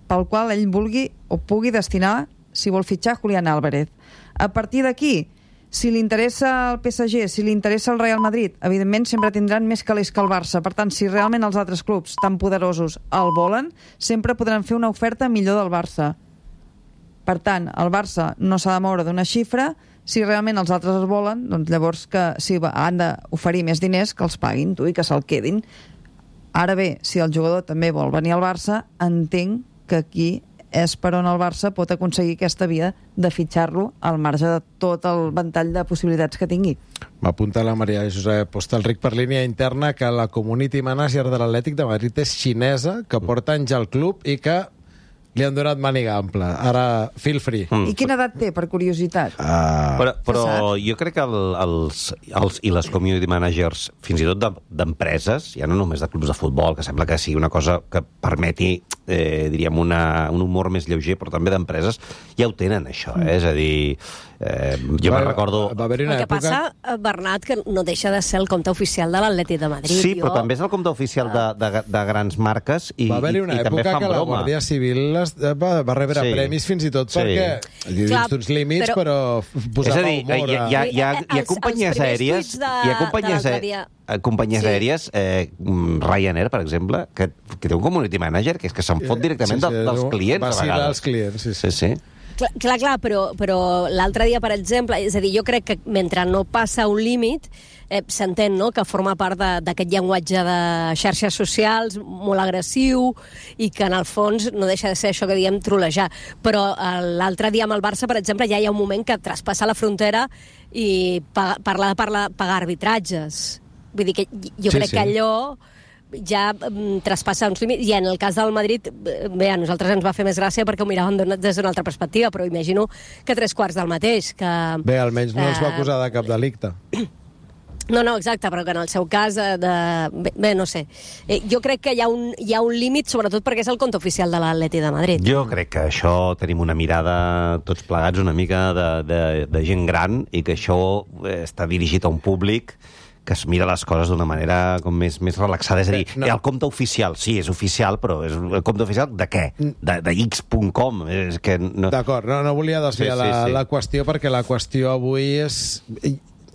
pel qual ell vulgui o pugui destinar, si vol fitxar, Julián Álvarez. A partir d'aquí, si li interessa el P S G, si li interessa el Real Madrid, evidentment sempre tindran més calés que el Barça. Per tant, si realment els altres clubs tan poderosos el volen, sempre podran fer una oferta millor del Barça. Per tant, el Barça no s'ha de moure d'una xifra. Si realment els altres es volen, doncs llavors que si han d'oferir més diners, que els paguin, tu, i que se'l quedin. Ara bé, si el jugador també vol venir al Barça, entenc que aquí és per on el Barça pot aconseguir aquesta via de fitxar-lo al marge de tot el ventall de possibilitats que tingui. M'apunta la Maria Josep Postalric per línia interna que la community manager de l'Atlètic de Madrid és xinesa, que porta anys al club i que li han donat màniga ampla. Ara, feel free. Mm. I quina edat té, per curiositat? Uh, Però, però jo crec que el, els, els i les community managers, fins i tot de- d'empreses, ja no només de clubs de futbol, que sembla que sigui una cosa que permeti, eh, diríem, una, un humor més lleuger, però també d'empreses, ja ho tenen, això. Eh? És a dir, eh, jo Va- me'n recordo... va haver-hi El una que passa, eh, Bernat, que no deixa de ser el compte oficial de l'Atlètic de Madrid. Sí, però Jo- també és el compte oficial de, de, de grans marques i, va haver-hi i, una i també època fan que la broma. Guàrdia Civil es, va, va rebre Sí. premis fins i tot Sí. perquè dins Clar, d'uns límits, però- però, És posava a dir, hi ha, humor. hi ha, hi ha, hi ha Els- els companyies primers aèries... tuits de- Hi ha companyies, de l'altre aè- dia. eh, companyies Sí. aèries, eh, mm, Ryanair, per exemple, que, que té un community manager que és que se'n fot directament Sí, sí, de, dels no, clients, a vacilar vegades. els clients, sí, sí. Sí, sí. Clar, clar, clar però, però l'altre dia, per exemple, és a dir, jo crec que mentre no passa un límit, eh, s'entén, no?, que forma part de- d'aquest llenguatge de xarxes socials molt agressiu i que, en el fons, no deixa de ser això que diem trolejar. Però eh, l'altre dia amb el Barça, per exemple, ja hi ha un moment que traspassa la frontera i pa parla de parla, pagar arbitratges. Vull dir que jo Sí, crec sí. que allò ja mm, traspassa uns límits, i en el cas del Madrid, eh, bé, a nosaltres ens va fer més gràcia perquè ho miràvem d'una- des d'una altra perspectiva, però imagino que tres quarts del mateix, que... Bé, almenys no els va eh, acusar de cap delicte. No, no, exacte, però que en el seu cas, eh, de... bé, bé, no sé. Eh, jo crec que hi ha un, hi ha un límit, sobretot perquè és el compte oficial de l'Atleti de Madrid. Jo crec que això tenim una mirada tots plegats una mica de, de, de gent gran i que això eh, està dirigit a un públic que es mira les coses d'una manera com més, més relaxada. És a dir, no. no. el compte oficial, sí, és oficial, però és el compte oficial de què? De, de x punt com. És que no... D'acord, no, no volia desviar Sí, sí, la, sí. la qüestió perquè la qüestió avui és...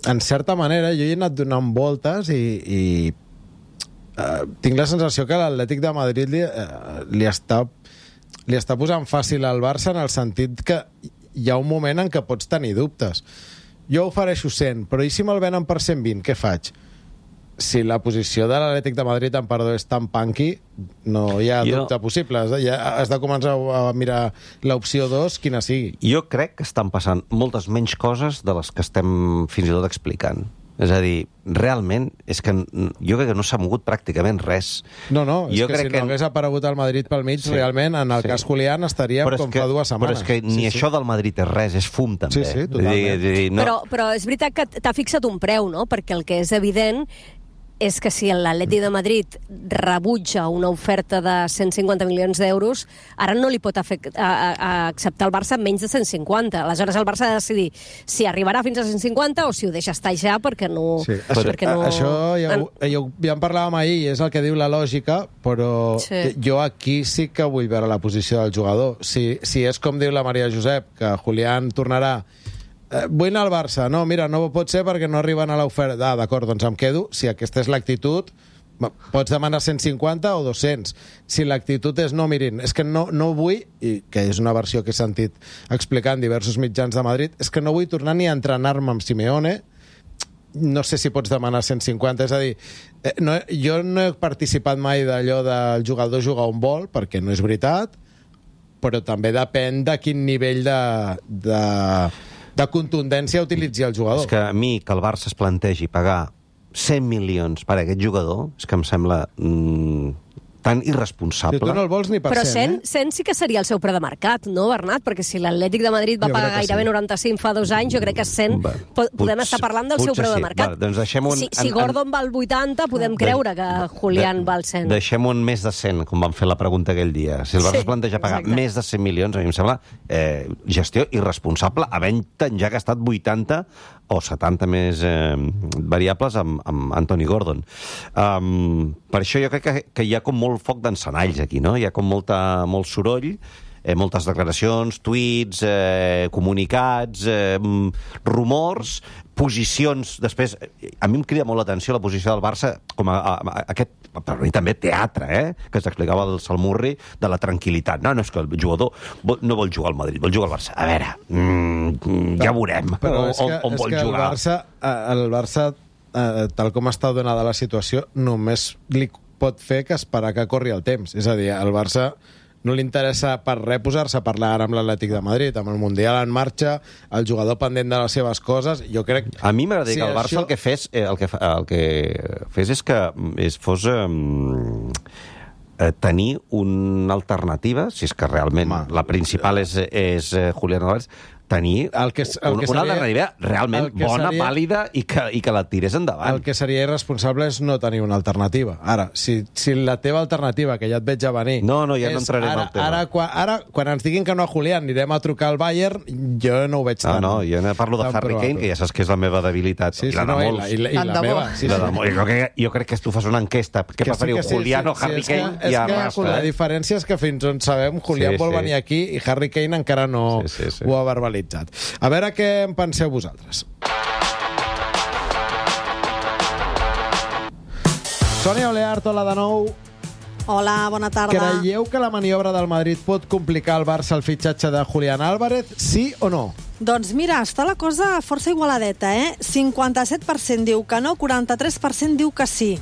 En certa manera, jo hi he anat donant voltes i, i uh, tinc la sensació que l'Atlètic de Madrid li, uh, li, està, li està posant fàcil al Barça en el sentit que hi ha un moment en què pots tenir dubtes. Jo ofereixo cent, però i si me'l venen per cent vint, què faig? Si la posició de l'Atlètic de Madrid, en perdó, és tan punky, no hi ha Jo- dubte possible. Has de, ja has de començar a mirar l'opció dos, quina sigui. Jo crec que estan passant moltes menys coses de les que estem fins i tot explicant. És a dir, realment, és que n- jo crec que no s'ha mogut pràcticament res. No, no, és Jo que crec si que- no hagués aparegut el Madrid pel mig, Sí, realment, en el sí. cas Julián, estaria Però és com que- fa dues setmanes. Però és que ni Sí, sí. això del Madrid és res, és fum, també. Sí, sí, Vull dir- totalment. vull dir, no... Però, però és veritat que t'ha fixat un preu, no? Perquè el que és evident és que si l'Atleti de Madrid rebutja una oferta de cent cinquanta milions d'euros, ara no li pot afect- a, a, a acceptar el Barça menys de cent cinquanta. Aleshores el Barça ha de decidir si arribarà fins a cent cinquanta o si ho deixa estar ja perquè no... Sí. Això, perquè no... això ja, ho, ja, ho, ja en parlàvem ahir, és el que diu la lògica, però Sí. jo aquí sí que vull veure la posició del jugador. Si, si és com diu la Maria Josep, que Julián tornarà eh, vull anar al Barça, no, mira, no pot ser perquè no arriben a l'oferta. Ah, d'acord, doncs em quedo. Si aquesta és l'actitud, pots demanar cent cinquanta o dos-cents. Si l'actitud és no, mirin, és que no, no vull, i que és una versió que he sentit explicar en diversos mitjans de Madrid, és que no vull tornar ni a entrenar-me amb Simeone, no sé si pots demanar cent cinquanta, és a dir, eh, no, jo no he participat mai d'allò del jugador jugar on vol, perquè no és veritat, però també depèn de quin nivell de, de, de contundència utilitzi el jugador. És que a mi que el Barça es plantegi pagar cent milions per a aquest jugador, és que em sembla mm, tan irresponsable. Si tu no el vols ni per Però cent, cent, eh? cent sí que seria el seu preu de mercat, no, Bernat? Perquè si l'Atlètic de Madrid va Jo pagar crec que gairebé sí. noranta-cinc fa dos anys, jo crec que cent Va, po- podem potser- estar parlant del seu potser preu de sí. mercat. Va, doncs deixem-ho en- si, si en- Gordon val vuitanta, podem creure que Julián De- val cent. Deixem-ho en més de cent, com vam fer la pregunta aquell dia. Si el Barça Sí, es planteja pagar exacte. més de cent milions, a mi em sembla eh, gestió irresponsable, havent-te'n ja gastat vuitanta o setanta més eh, variables amb, amb Anthony Gordon. Um, per això jo crec que, que hi ha com molt foc d'encenalls aquí, no? Hi ha com molta, molt soroll, eh, moltes declaracions, tuits, eh, comunicats, eh, rumors, posicions. Després, a mi em crida molt l'atenció la posició del Barça com a, a, a aquest, per mi també teatre, eh? Que s'explicava el Salmurri, de la tranquil·litat. No, no, és que el jugador vol, no vol jugar al Madrid, vol jugar al Barça. A veure, mm, ja veurem Però on, és que, on és vol que el jugar. Barça, eh, el Barça eh, tal com està donada la situació, només li pot fer que esperar que corri el temps. És a dir, al Barça no li interessa per res posar-se a parlar ara amb l'Atlètic de Madrid, amb el Mundial en marxa, el jugador pendent de les seves coses. Jo crec... A mi m'agradaria si que el Barça això- el que fes, eh, el que, fa- el que fes és que és, fos eh, eh, tenir una alternativa, si és que realment Home, la principal és, és eh, Julián Álvarez, tenir El que és- el un, que una seria- alternativa realment el que bona, seria- vàlida i que, i que la tirés endavant. El que seria irresponsable és no tenir una alternativa. Ara, si, si la teva alternativa, que ja et veig a venir... No, no, ja no és entrarem ara, al tema. Ara, quan, ara, quan ens diguin que no a Julián anirem a trucar al Bayern, jo no ho veig No, tan... no, jo no parlo de tan Harry probable. Kane, que ja saps que és la meva debilitat. Sí, I sí, la de no, i molts. la, i la, i Tant la de bo. meva. Sí, La sí. de molts. Jo, crec, jo crec que tu fas una enquesta. Què Que preferiu, sí, que sí, Julián o sí, Harry és que- Kane? És I que, arrastra, la eh? diferència és que fins on sabem, Julián Sí, vol sí. venir aquí i Harry Kane encara no Sí, sí, sí. ho ha verbalitzat. A veure què en penseu vosaltres. Sònia Oleart, hola de nou. Hola, bona tarda. Creieu que la maniobra del Madrid pot complicar al Barça el fitxatge de Julián Álvarez, sí o no? Doncs mira, està la cosa força igualadeta, eh? cinquanta-set per cent diu que no, quaranta-tres per cent diu que sí.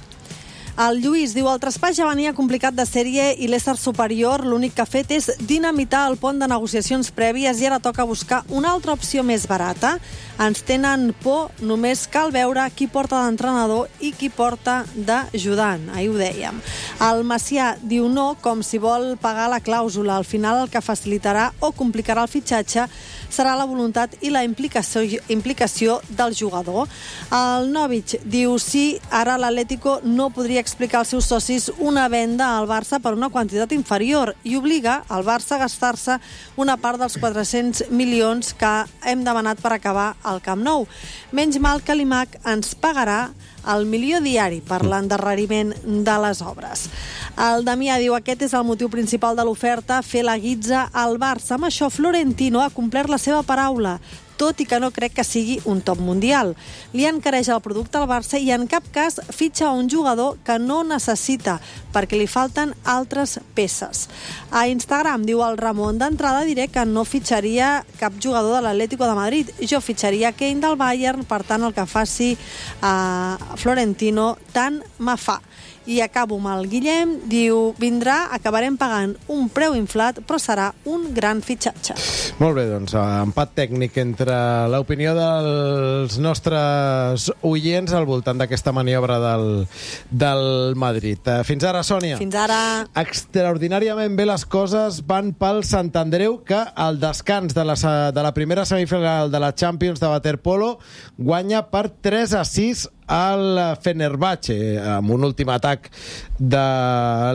El Lluís diu, el traspàs ja venia complicat de sèrie i l'ésser superior l'únic que ha fet és dinamitar el pont de negociacions prèvies i ara toca buscar una altra opció més barata. Ens tenen por, només cal veure qui porta d'entrenador i qui porta d'ajudant. Ahir ho dèiem. El Macià diu no, com si vol pagar la clàusula. Al final el que facilitarà o complicarà el fitxatge serà la voluntat i la implicació, implicació del jugador. El Novich diu sí, ara l'Atlético no podria explicar als seus socis una venda al Barça per una quantitat inferior i obliga al Barça a gastar-se una part dels quatre-cents milions que hem demanat per acabar al Camp Nou. Menys mal que l'I M A C ens pagarà el milió diari per l'endarreriment de les obres. El Damià diu aquest és el motiu principal de l'oferta, fer la guitza al Barça. Amb això Florentino ha complert la seva paraula, tot i que no crec que sigui un top mundial. Li encareix el producte al Barça i en cap cas fitxa un jugador que no necessita, perquè li falten altres peces. A Instagram diu el Ramon, d'entrada diré que no fitxaria cap jugador de l'Atlético de Madrid. Jo fitxaria Kane del Bayern, per tant el que faci a Florentino tant me fa. I acabo amb el Guillem, diu, vindrà, acabarem pagant un preu inflat, però serà un gran fitxatge. Molt bé, doncs, empat tècnic entre l'opinió dels nostres oients al voltant d'aquesta maniobra del, del Madrid. Fins ara, Sònia. Fins ara. Extraordinàriament bé les coses van pel Sant Andreu, que al descans de la, de la primera semifinal de la Champions de waterpolo guanya per tres a sis al Fenerbahce, amb un últim atac de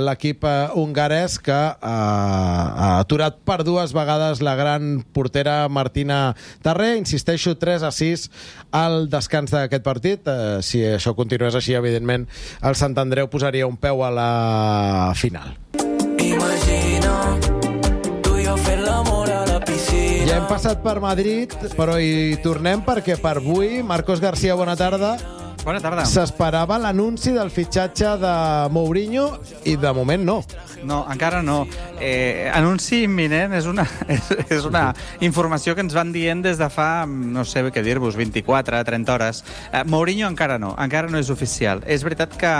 l'equip hongarès que ha aturat per dues vegades la gran portera Martina Tarré. Insisteixo, tres a sis al descans d'aquest partit. Eh, si això continués així, evidentment, el Sant Andreu posaria un peu a la final. Imagina tu i jo fent l'amor a la piscina. Ja hem passat per Madrid, però hi tornem perquè per avui, Marcos García, bona tarda. Bona tarda. S'esperava l'anunci del fitxatge de Mourinho i de moment no. No, encara no. Eh, anunci imminent és una, és, és una informació que ens van dient des de fa, no sé què dir-vos, vint-i-quatre, trenta hores. Eh, Mourinho encara no, encara no és oficial. És veritat que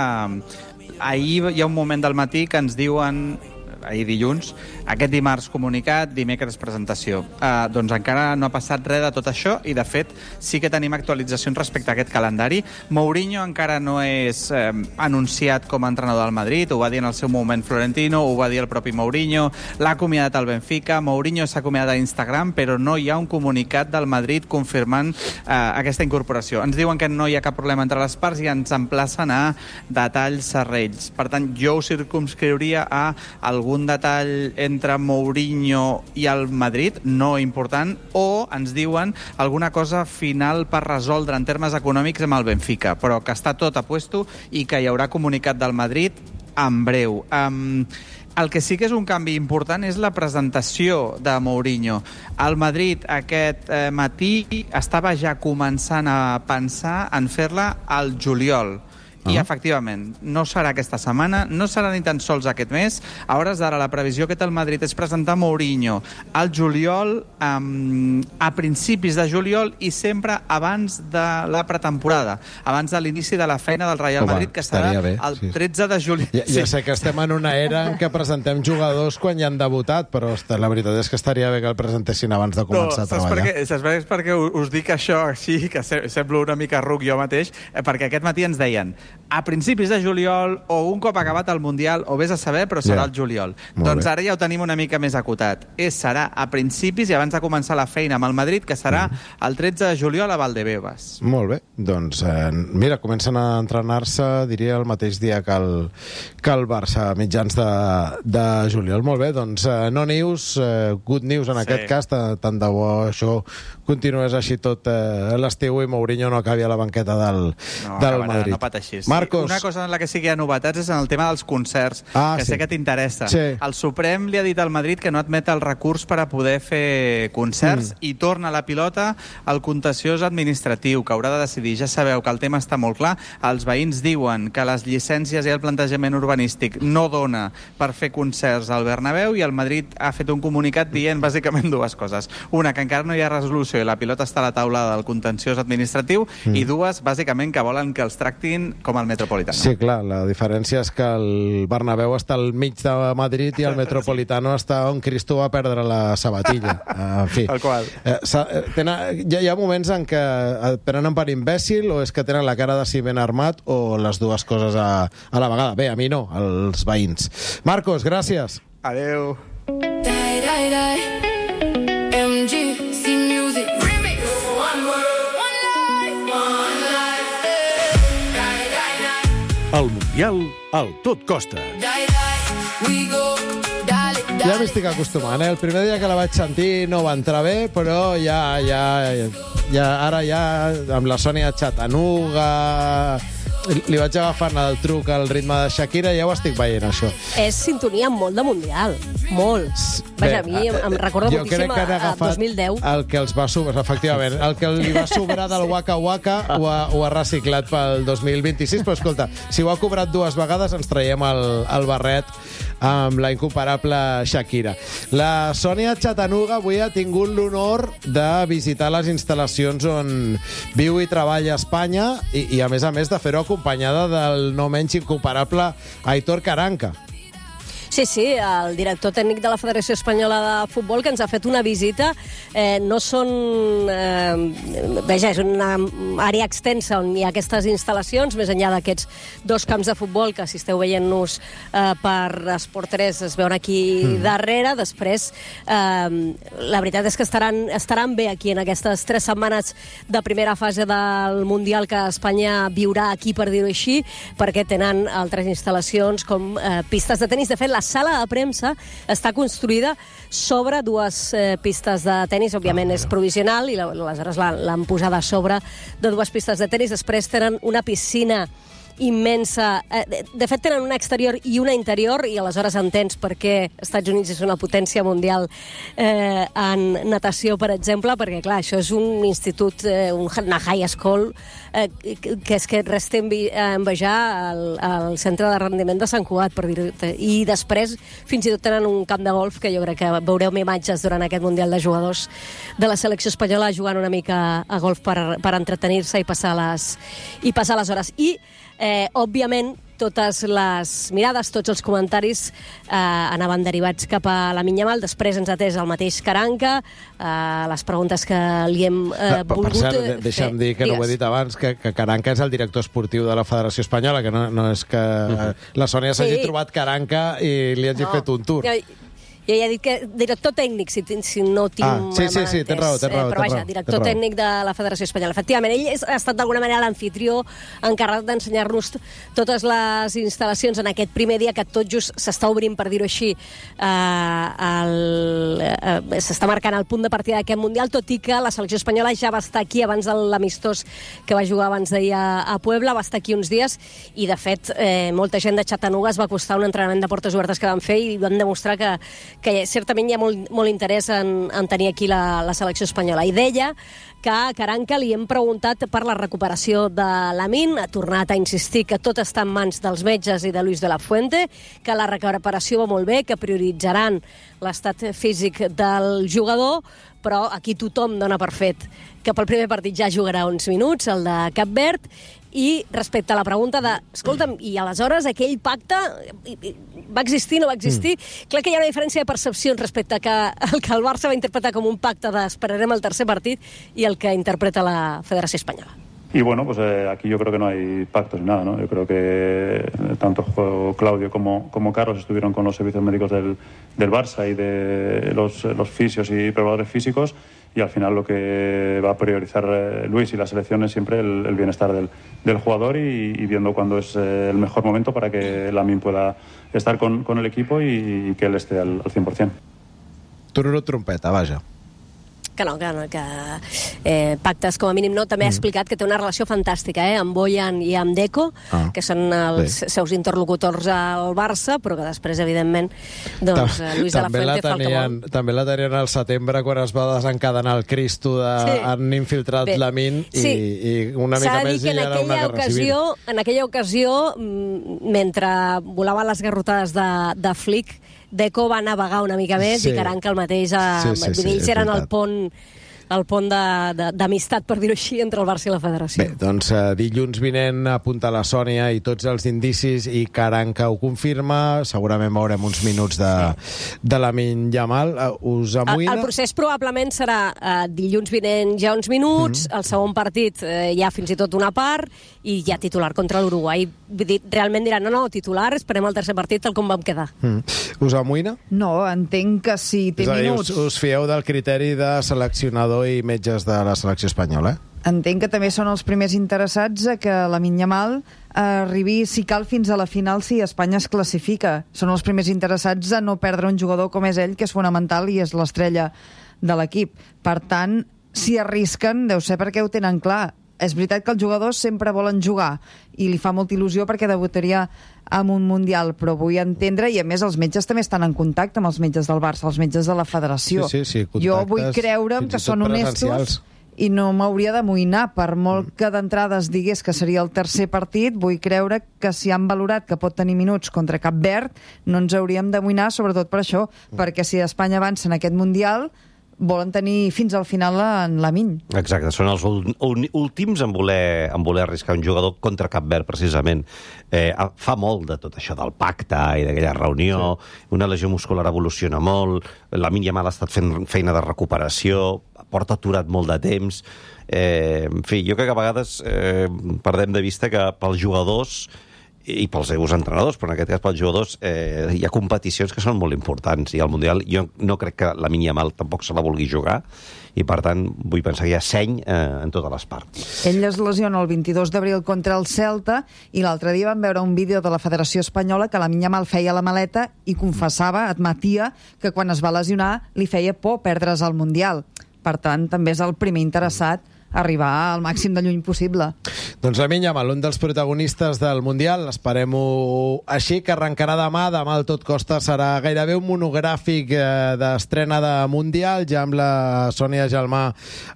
ahir hi ha un moment del matí que ens diuen, ahir dilluns, aquest dimarts comunicat, dimecres presentació. Uh, doncs encara no ha passat res de tot això i, de fet, sí que tenim actualitzacions respecte a aquest calendari. Mourinho encara no és eh, anunciat com a entrenador del Madrid, ho va dir en el seu moment Florentino, ho va dir el propi Mourinho, l'ha acomiadat al Benfica, Mourinho s'ha acomiadat a Instagram, però no hi ha un comunicat del Madrid confirmant eh, aquesta incorporació. Ens diuen que no hi ha cap problema entre les parts i ens emplacen a detalls serrells. Per tant, jo ho circumscriuria a algun detall entre entre Mourinho i el Madrid, no important, o ens diuen alguna cosa final per resoldre en termes econòmics amb el Benfica, però que està tot a puesto i que hi haurà comunicat del Madrid en breu. Um, el que sí que és un canvi important és la presentació de Mourinho. El Madrid aquest eh, matí estava ja començant a pensar en fer-la al juliol. I, efectivament, no serà aquesta setmana, no serà ni tan sols aquest mes. A hores d'ara, la previsió que té el Madrid és presentar Mourinho al juliol, um, a principis de juliol i sempre abans de la pretemporada, abans de l'inici de la feina del Real Home, Madrid, que serà bé, el sí. tretze de juliol. Ja, ja sé que estem en una era en què presentem jugadors quan ja han debutat, però la veritat és que estaria bé que el presentessin abans de començar no, a treballar. Per què? Saps per què? És perquè us dic això així, que semblo una mica ruc jo mateix, perquè aquest matí ens deien a principis de juliol o un cop acabat el Mundial, o vés a saber, però serà yeah. el juliol. Molt doncs bé. Ara ja ho tenim una mica més acotat. És, serà a principis i abans de començar la feina amb el Madrid, que serà mm. el tretze de juliol a Valdebebas. Molt bé. Doncs, eh, mira, comencen a entrenar-se, diria, el mateix dia que el, que el Barça, a mitjans de, de juliol. Molt bé, doncs, eh, no news, eh, good news en sí. aquest cas, tant de bo això continués així tot eh, l'estiu i Mourinho no acabi a la banqueta del, no, del acabarà, Madrid. No pateixis. Marcos. Una cosa en la que sí que hi ha novetats és en el tema dels concerts, ah, que sí. sé que t'interessa. Sí. El Suprem li ha dit al Madrid que no admet el recurs per a poder fer concerts mm. i torna la pilota al contenciós administratiu, que haurà de decidir. Ja sabeu que el tema està molt clar. Els veïns diuen que les llicències i el plantejament urbanístic no dona per fer concerts al Bernabéu i el Madrid ha fet un comunicat dient bàsicament dues coses. Una, que encara no hi ha resolució i la pilota està a la taula del contenciós administratiu mm. i dues, bàsicament, que volen que els tractin com el Metropolitano. Sí, clar, la diferència és que el Bernabéu està al mig de Madrid i el Metropolitano sí. està on Cristo va perdre la sabatilla. En fi. El qual. Eh, tenen, hi, ha, hi ha moments en què et prenen per imbècil o és que tenen la cara de si ben armat o les dues coses a, a la vegada. Bé, a mi no, als veïns. Marcos, gràcies. Adeu. Die, die, die. M G C Music. El Mundial, al tot costa. Ja m'hi estic acostumant, eh? El primer dia que la vaig sentir no va entrar bé, però ja, ja, ja ara ja amb la Sònia Chattanooga li vaig agafant el truc al ritme de Shakira i ja ho estic veient, això. És sintonia molt de Mundial, molt. Vaja, a mi em, em recorda jo moltíssim a, a dos mil deu. El que els va sobrar, efectivament, el que li va sobrar del Waka Waka ho ha, ho ha reciclat pel dos mil vint-i-sis, però escolta, si ho ha cobrat dues vegades ens traiem el, el barret amb la incomparable Shakira. La Sònia Chattanooga avui ha tingut l'honor de visitar les instal·lacions on viu i treballa a Espanya i, i a més a més de fer-ho acompanyada del no menys incomparable Aitor Karanka. Sí, sí, el director tècnic de la Federació Espanyola de Futbol, que ens ha fet una visita. Eh, no són... Eh, veja, és una àrea extensa on hi ha aquestes instal·lacions, més enllà d'aquests dos camps de futbol que, si esteu veient-nos eh, per Esport tres, es veuen aquí mm. darrere. Després, eh, la veritat és que estaran, estaran bé aquí en aquestes tres setmanes de primera fase del Mundial que Espanya viurà aquí, per dir-ho així, perquè tenen altres instal·lacions com eh, pistes de tenis. De fet, la sala de premsa està construïda sobre dues eh, pistes de tenis. Òbviament és provisional i aleshores l'han posada a sobre de dues pistes de tenis. Després tenen una piscina immensa. De fet, tenen una exterior i una interior, i aleshores entens per què Estats Units és una potència mundial eh, en natació, per exemple, perquè, clar, això és un institut, eh, una high school, eh, que és que res té a envejar al, al centre de rendiment de Sant Cugat, per dir-ho. I després, fins i tot tenen un camp de golf, que jo crec que veureu imatges durant aquest Mundial de jugadors de la selecció espanyola jugant una mica a golf per, per entretenir-se i passar les, i passar les hores. I Eh, òbviament, totes les mirades, tots els comentaris eh, anaven derivats cap a la Yamal. Després ens ha atès el mateix Karanka, eh, les preguntes que li hem eh, per, volgut per cert, deixa'm fer. dir, que Digues. no ho he dit abans, que, que Karanka és el director esportiu de la Federació Espanyola, que no, no és que uh-huh. la Sònia s'hagi Sí. trobat Karanka i li hagi No. fet un tour. Jo, jo ja he dit que director tècnic, si, si no tinc... Ah, sí, sí, sí, tens raó, tens raó, Però tens vaja, raó, director tens raó. tècnic de la Federació Espanyola. Efectivament, ell és, ha estat d'alguna manera l'anfitrió encarregat d'ensenyar-nos t- totes les instal·lacions en aquest primer dia que tot just s'està obrint, per dir-ho així, eh, el, eh, s'està marcant el punt de partida d'aquest Mundial, tot i que la selecció espanyola ja va estar aquí abans de l'amistós que va jugar abans d'ahir a, a Puebla, va estar aquí uns dies, i de fet eh, molta gent de Chattanooga es va costar un entrenament de portes obertes que van fer i van demostrar que, que certament hi ha molt, molt interès en, en tenir aquí la, la selecció espanyola. I deia que a Karanka li hem preguntat per la recuperació de Lamine, ha tornat a insistir que tot està en mans dels metges i de Luis de la Fuente, que la recuperació va molt bé, que prioritzaran l'estat físic del jugador, però aquí tothom dona per fet que pel primer partit ja jugarà uns minuts, el de Cap Verd. I respecte a la pregunta de, escolta'm, i aleshores aquell pacte va existir, no va existir? Mm. Clar que hi ha una diferència de percepcions respecte a que el que el Barça va interpretar com un pacte d'esperarem el tercer partit i el que interpreta la Federació Espanyola. Y bueno, pues eh, aquí yo creo que no hay pactos ni nada, ¿no? Yo creo que tanto Claudio como, como Carlos estuvieron con los servicios médicos del, del Barça y de los, los fisios y preparadores físicos, y al final lo que va a priorizar eh, Luis y la selección es siempre el, el bienestar del, del jugador y, y viendo cuándo es eh, el mejor momento para que Lamine pueda estar con, con el equipo y, y que él esté al, al cien por cien. Tururut trompeta, vaja. Que no, que, no, que eh, pactes com a mínim no. També mm. ha explicat que té una relació fantàstica eh, amb Bojan i amb Deco, ah. que són els sí. seus interlocutors al Barça, però que després, evidentment, doncs, Ta Luis de la Fuente fa el que vol. També la tenien al setembre, quan es va desencadenar el Cristo de sí. han infiltrat Bé. Lamine i, sí. i una mica més i era una guerra ocasió, civil. En aquella ocasió, mentre volaven les garrotades de, de Flick, Deco va navegar una mica més sí. i Karanka el mateix. A, sí, sí, sí, ells eren el pont, el pont d'amistat, per dir-ho així, entre el Barça i la Federació. Bé, doncs uh, dilluns vinent apunta la Sònia i tots els indicis i Karanka ho confirma. Segurament veurem uns minuts de, sí. de Lamine Yamal. Uh, us amoïna? El, el procés probablement serà uh, dilluns vinent ja uns minuts, mm -hmm. el segon partit uh, ja fins i tot una part, i ja titular contra l'Uruguai. Realment diran, no, no, titular, esperem el tercer partit tal com vam quedar. Mm. Us amoïna? No, entenc que sí, té És a dir, minuts. Us, us fieu del criteri de seleccionador i metges de la selecció espanyola, eh? Entenc que també són els primers interessats a que Lamine Yamal arribi, si cal, fins a la final si Espanya es classifica. Són els primers interessats a no perdre un jugador com és ell, que és fonamental i és l'estrella de l'equip. Per tant, si arrisquen, deu ser perquè ho tenen clar. És veritat que els jugadors sempre volen jugar i li fa molta il·lusió perquè debutaria en un Mundial, però vull entendre, i a més els metges també estan en contacte amb els metges del Barça, els metges de la Federació. Sí, sí, sí, jo vull creure'm que són honestos i no m'hauria d'amoïnar, per molt que d'entrada es digués que seria el tercer partit, vull creure que si han valorat que pot tenir minuts contra Cap Verd, no ens hauríem d'amoïnar, sobretot per això, perquè si Espanya avança en aquest Mundial, volen tenir fins al final en Lamine. Exacte, són els últims en voler, en voler arriscar un jugador contra Cap Verd, precisament. Eh, fa molt de tot això del pacte i d'aquella reunió, sí. Una lesió muscular evoluciona molt, Lamine Yamal ha estat fent feina de recuperació, porta aturat molt de temps. Eh, en fi, jo crec que a vegades eh, perdem de vista que pels jugadors i pels seus entrenadors, però en aquest cas pels jugadors eh, hi ha competicions que són molt importants i al Mundial jo no crec que la Yamal tampoc se la vulgui jugar i per tant vull pensar que hi ha seny eh, en totes les parts. Ell es lesiona el vint-i-dos d'abril contra el Celta i l'altre dia vam veure un vídeo de la Federació Espanyola que la Yamal feia la maleta i confessava, admetia, que quan es va lesionar li feia por perdre's el Mundial. Per tant, també és el primer interessat arribar al màxim de lluny possible. Doncs Lamine Yamal, un dels protagonistes del Mundial, esperem-ho així, que arrencarà demà. Demà al Tot Costa serà gairebé un monogràfic eh, d'estrena de Mundial, ja amb la Sònia Gelmà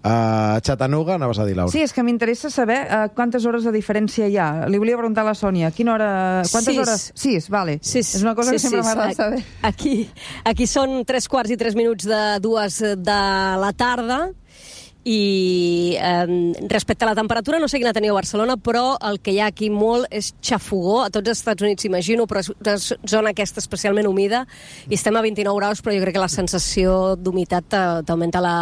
a Chattanooga. Anaves a dir, Laura? Sí, és que m'interessa saber uh, quantes hores de diferència hi ha. Li volia preguntar a la Sònia, quina hora... Quantes Sis. hores? Sis, vale. Sis. És una cosa sí, que sempre sí, m'agrada saber. Aquí, aquí són tres quarts i tres minuts de dues de la tarda. I eh, respecte a la temperatura, no sé quina teniu a Barcelona, però el que hi ha aquí molt és xafogó, a tots els Estats Units imagino, però és una zona aquesta especialment humida, i estem a vint-i-nou graus, però jo crec que la sensació d'humitat t'augmenta la,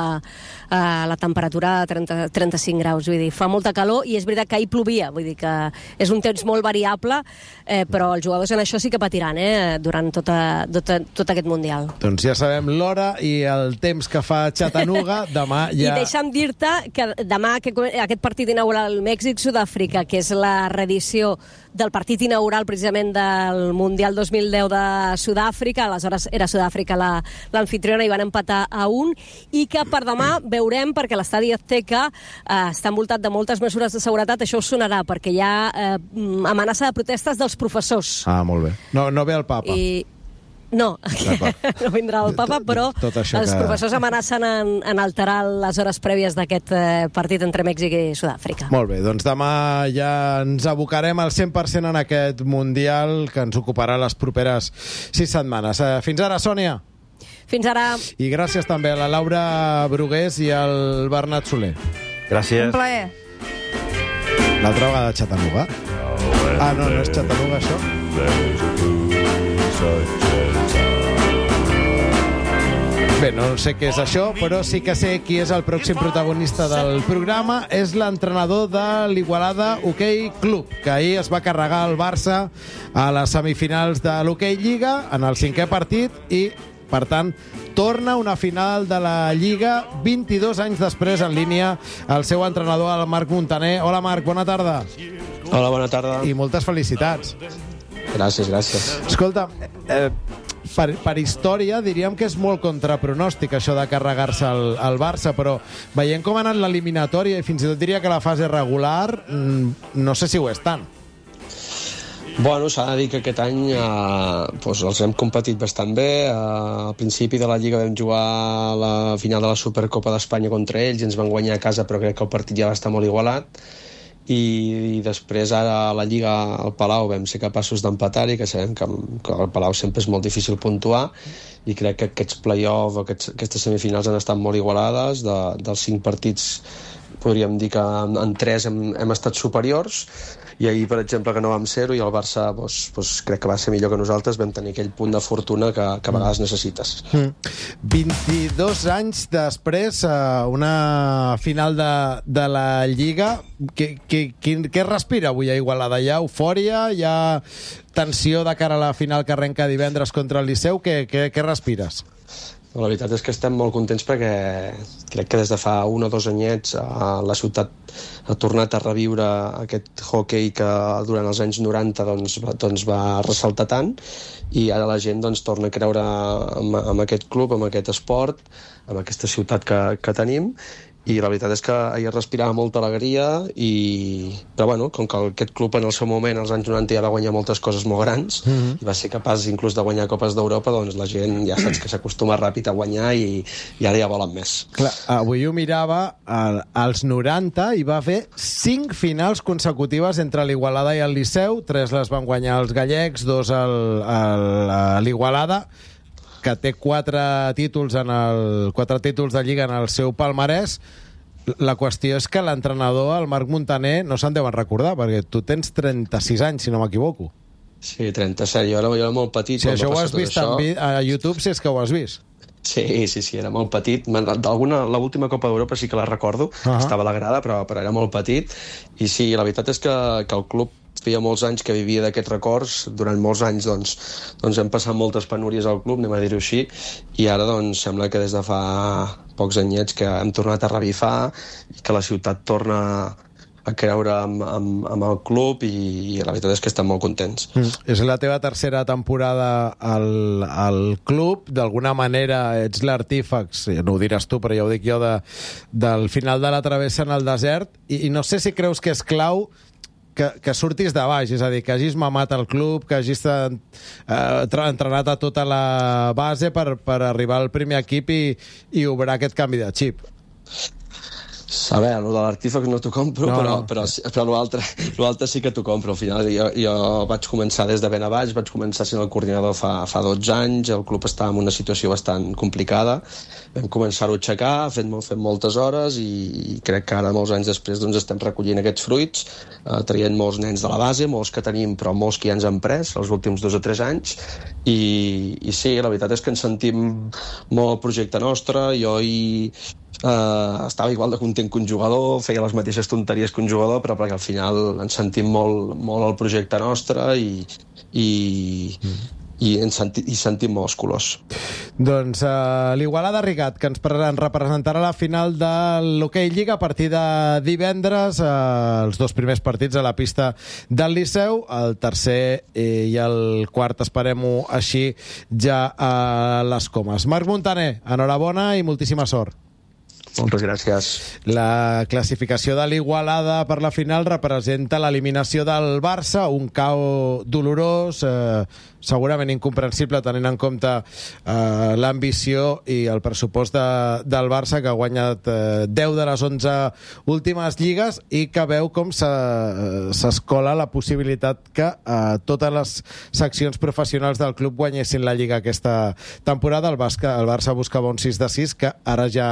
eh, la temperatura a trenta, trenta-cinc graus, vull dir, fa molta calor, i és veritat que ahir plovia, vull dir que és un temps molt variable, eh, però els jugadors en això sí que patiran, eh, durant tota, tota, tot aquest Mundial. Doncs ja sabem l'hora i el temps que fa Chattanooga, demà ja... I deixa'm dir-te que demà que aquest partit inaugural Mèxic-Sud-àfrica, que és la reedició del partit inaugural precisament del Mundial dos mil deu de Sud-àfrica, aleshores era Sud-àfrica l'anfitriona i van empatar a un, i que per demà veurem, perquè l'estadi Azteca eh, està envoltat de moltes mesures de seguretat, això us sonarà, perquè hi ha eh, amenaça de protestes dels professors. Ah, molt bé. No, no ve el papa. I... No, no vindrà el papa, però els que... professors amenacen en, en alterar les hores prèvies d'aquest eh, partit entre Mèxic i Sud-àfrica. Molt bé, doncs demà ja ens abocarem al cent per cent en aquest Mundial que ens ocuparà les properes sis setmanes. Eh, fins ara, Sònia. Fins ara. I gràcies també a la Laura Brugués i al Bernat Soler. Gràcies. Un plaer. L'altra vegada a Chattanooga. Ah, no, no és Chattanooga, això? Bé, no sé què és això, però sí que sé qui és el pròxim protagonista del programa. És l'entrenador de l'Igualada Hoquei Club, que ahir es va carregar el Barça a les semifinals de l'Hoquei Lliga en el cinquè partit i, per tant, torna una final de la Lliga vint-i-dos anys després en línia el seu entrenador, el Marc Montaner. Hola, Marc, bona tarda. Hola, bona tarda. I moltes felicitats. Gràcies, gràcies. Escolta, eh, per, per història diríem que és molt contrapronòstic això de carregar-se el, el Barça, però veient com ha anat l'eliminatòria i fins i tot diria que la fase regular, no sé si ho és tant. Bueno, s'ha de dir que aquest any eh, doncs els hem competit bastant bé. Eh, al principi de la Lliga vam jugar la final de la Supercopa d'Espanya contra ells i ens van guanyar a casa, però crec que el partit ja va estar molt igualat. I, i després ara a la Lliga al Palau vam ser capaços d'empatar-hi, que sabem que, que al Palau sempre és molt difícil puntuar, i crec que aquests play-off, aquests, aquestes semifinals han estat molt igualades. De, dels cinc partits podríem dir que en, en tres hem, hem estat superiors, i ahir, per exemple, que no vam ser-ho, i el Barça doncs, doncs, crec que va ser millor que nosaltres, vam tenir aquell punt de fortuna que, que a vegades necessites. Mm. vint-i-dos anys després, una final de, de la Lliga. Què, què, què, què respira avui a Igualada? Hi ha eufòria? Hi ha tensió de cara a la final que arrenca divendres contra el Liceu? Què, què, què respires? La veritat és que estem molt contents perquè crec que des de fa un o dos anyets la ciutat ha tornat a reviure aquest hoquei que durant els anys noranta doncs, doncs va ressaltar tant, i ara la gent doncs, torna a creure en, en aquest club, en aquest esport, en aquesta ciutat que, que tenim. I la veritat és que ahir respirava molta alegria, i... però bueno, com que aquest club en el seu moment, als anys noranta, ja va guanyar moltes coses molt grans, mm-hmm. i va ser capaç inclús de guanyar Copes d'Europa, doncs la gent ja saps que s'acostuma ràpid a guanyar, i, i ara ja volen més. Clar, avui ho mirava, al, als noranta hi va haver cinc finals consecutives entre l'Igualada i el Liceu, tres les van guanyar els gallecs, dos a l'Igualada. que té quatre títols, en el, quatre títols de Lliga en el seu palmarès. La qüestió és que l'entrenador, el Marc Muntaner, no se'n deuen recordar, perquè tu tens trenta-sis anys, si no m'equivoco. Sí, trenta-set. Jo era, jo era molt petit. Si això ho has vist això... a YouTube, si és que ho has vist. Sí, sí, sí, era molt petit. D'alguna, l'última Copa d'Europa sí que la recordo, uh-huh. Estava a la grada, però, però era molt petit. I sí, la veritat és que, que el club feia molts anys que vivia d'aquests records. Durant molts anys doncs, doncs hem passat moltes penúries al club, anem a dir-ho així, i ara doncs, sembla que des de fa pocs anyets que hem tornat a revifar i que la ciutat torna a creure amb, amb, amb el club, i, i la veritat és que estem molt contents. Mm. És la teva tercera temporada al, al club, d'alguna manera ets l'artífex, no ho diràs tu, però ja ho dic jo, de, del final de la travessa en el desert, i, i no sé si creus que és clau que, que surtis de baix, és a dir, que hagis mamat el club, que hagis eh, entrenat a tota la base per, per arribar al primer equip i, i obrar aquest canvi de xip. A veure, el de l'artífex no t'ho compro, no, però, no. però, però l'altre l'altre sí que t'ho compro. Al final jo, jo vaig començar des de ben a baix, vaig començar sent el coordinador fa, fa dotze anys, el club estava en una situació bastant complicada, vam començar-ho a aixecar, fent, fent moltes hores, i, i crec que ara, molts anys després, doncs, estem recollint aquests fruits, eh, traient molts nens de la base, molts que tenim, però molts que ja ens han pres els últims dos o tres anys, i, i sí, la veritat és que ens sentim molt al projecte nostre. Jo hi Uh, estava igual de content que un jugador, feia les mateixes tonteries que un jugador, però perquè al final ens sentim molt, molt al projecte nostre, i, i, mm. i, ens senti, i sentim molts colors. Doncs uh, l'Igualada Rigat, que ens, ens representarà la final de l'Hockey Lliga a partir de divendres, uh, els dos primers partits a la pista del Liceu, el tercer eh, i el quart, esperem-ho així, ja a les Comes. Marc Muntaner, enhorabona i moltíssima sort. Moltes gràcies. La classificació de l'Igualada per la final representa l'eliminació del Barça, un cau dolorós, eh, segurament incomprensible tenint en compte eh, l'ambició i el pressupost de, del Barça, que ha guanyat eh, deu de les onze últimes lligues i que veu com s'escola la possibilitat que eh, totes les seccions professionals del club guanyessin la Lliga aquesta temporada. El, Basca, el Barça buscava un sis de sis que ara ja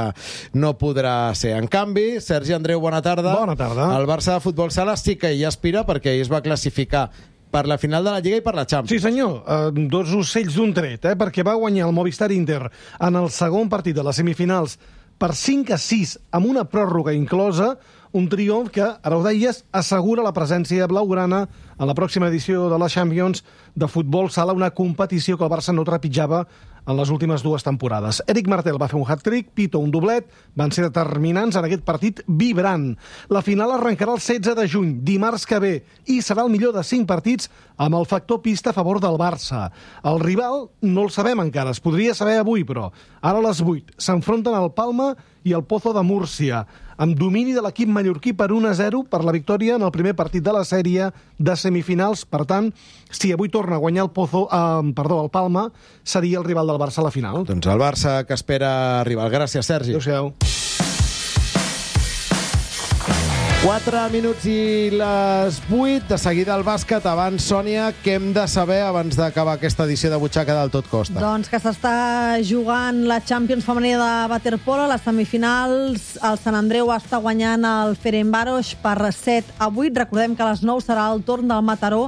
no podrà ser. En canvi, Sergi Andreu, bona tarda. Bona tarda. El Barça de Futbol Sala sí que hi aspira, perquè ell es va classificar per la final de la Lliga i per la Champions. Sí, senyor. Uh, dos ocells d'un tret, eh? Perquè va guanyar el Movistar Inter en el segon partit de les semifinals per cinc a sis, amb una pròrroga inclosa, un triomf que, ara ho deies, assegura la presència blaugrana en la pròxima edició de la Champions de Futbol Sala, una competició que el Barça no trepitjava en les últimes dues temporades. Eric Martel va fer un hat-trick, Pito un doblet, van ser determinants en aquest partit vibrant. La final arrencarà el setze de juny, dimarts que ve, i serà el millor de cinc partits amb el factor pista a favor del Barça. El rival no el sabem encara, es podria saber avui, però ara a les vuit s'enfronten el Palma i el Pozo de Múrcia, amb domini de l'equip mallorquí per un a zero per la victòria en el primer partit de la sèrie de semifinals. Per tant, si avui torna a guanyar el Pozo, eh, perdó, el Palma, seria el rival del Barça a la final. Doncs el Barça que espera rival. Gràcies, Sergi. Adéu-siau. quatre minuts i les vuit. De seguida el bàsquet. Abans, Sònia, què hem de saber abans d'acabar aquesta edició de Butxaca del Tot Costa? Doncs que s'està jugant la Champions femenina de waterpolo, les semifinals. El Sant Andreu està guanyant el Ferencváros per set a vuit. Recordem que a les nou serà el torn del Mataró,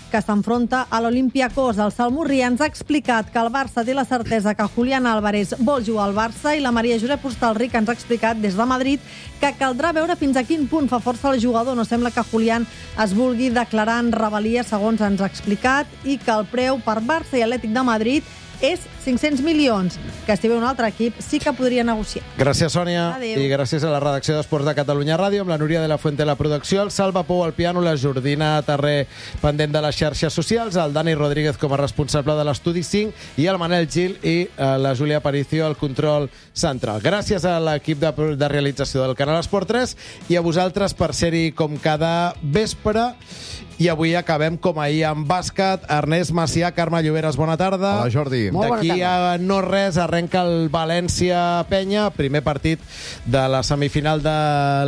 que s'enfronta a l'Olympiacos. El Salmurri ens ha explicat que el Barça té la certesa que Julián Álvarez vol jugar al Barça, i la Maria Josep Hostalric ens ha explicat des de Madrid que caldrà veure fins a quin punt fa força el jugador. No sembla que Julián es vulgui declarar en rebel·lia, segons ens ha explicat, i que el preu per Barça i Atlètic de Madrid és cinc-cents milions, que si ve un altre equip sí que podria negociar. Gràcies, Sònia. Adéu. I gràcies a la redacció d'Esports de Catalunya Ràdio, amb la Núria de la Fuente a la producció, el Salva Pou al piano, la Jordina Tarré pendent de les xarxes socials, el Dani Rodríguez com a responsable de l'Estudi cinc i el Manel Gil i eh, la Júlia Aparicio al control central. Gràcies a l'equip de, de realització del Canal Esport tres i a vosaltres per ser-hi com cada vespre. I avui acabem com ahir amb bàsquet. Ernest Macià, Carme Lloberes, bona tarda. Hola, Jordi. D'aquí a no res arrenca el València-Penya, primer partit de la semifinal de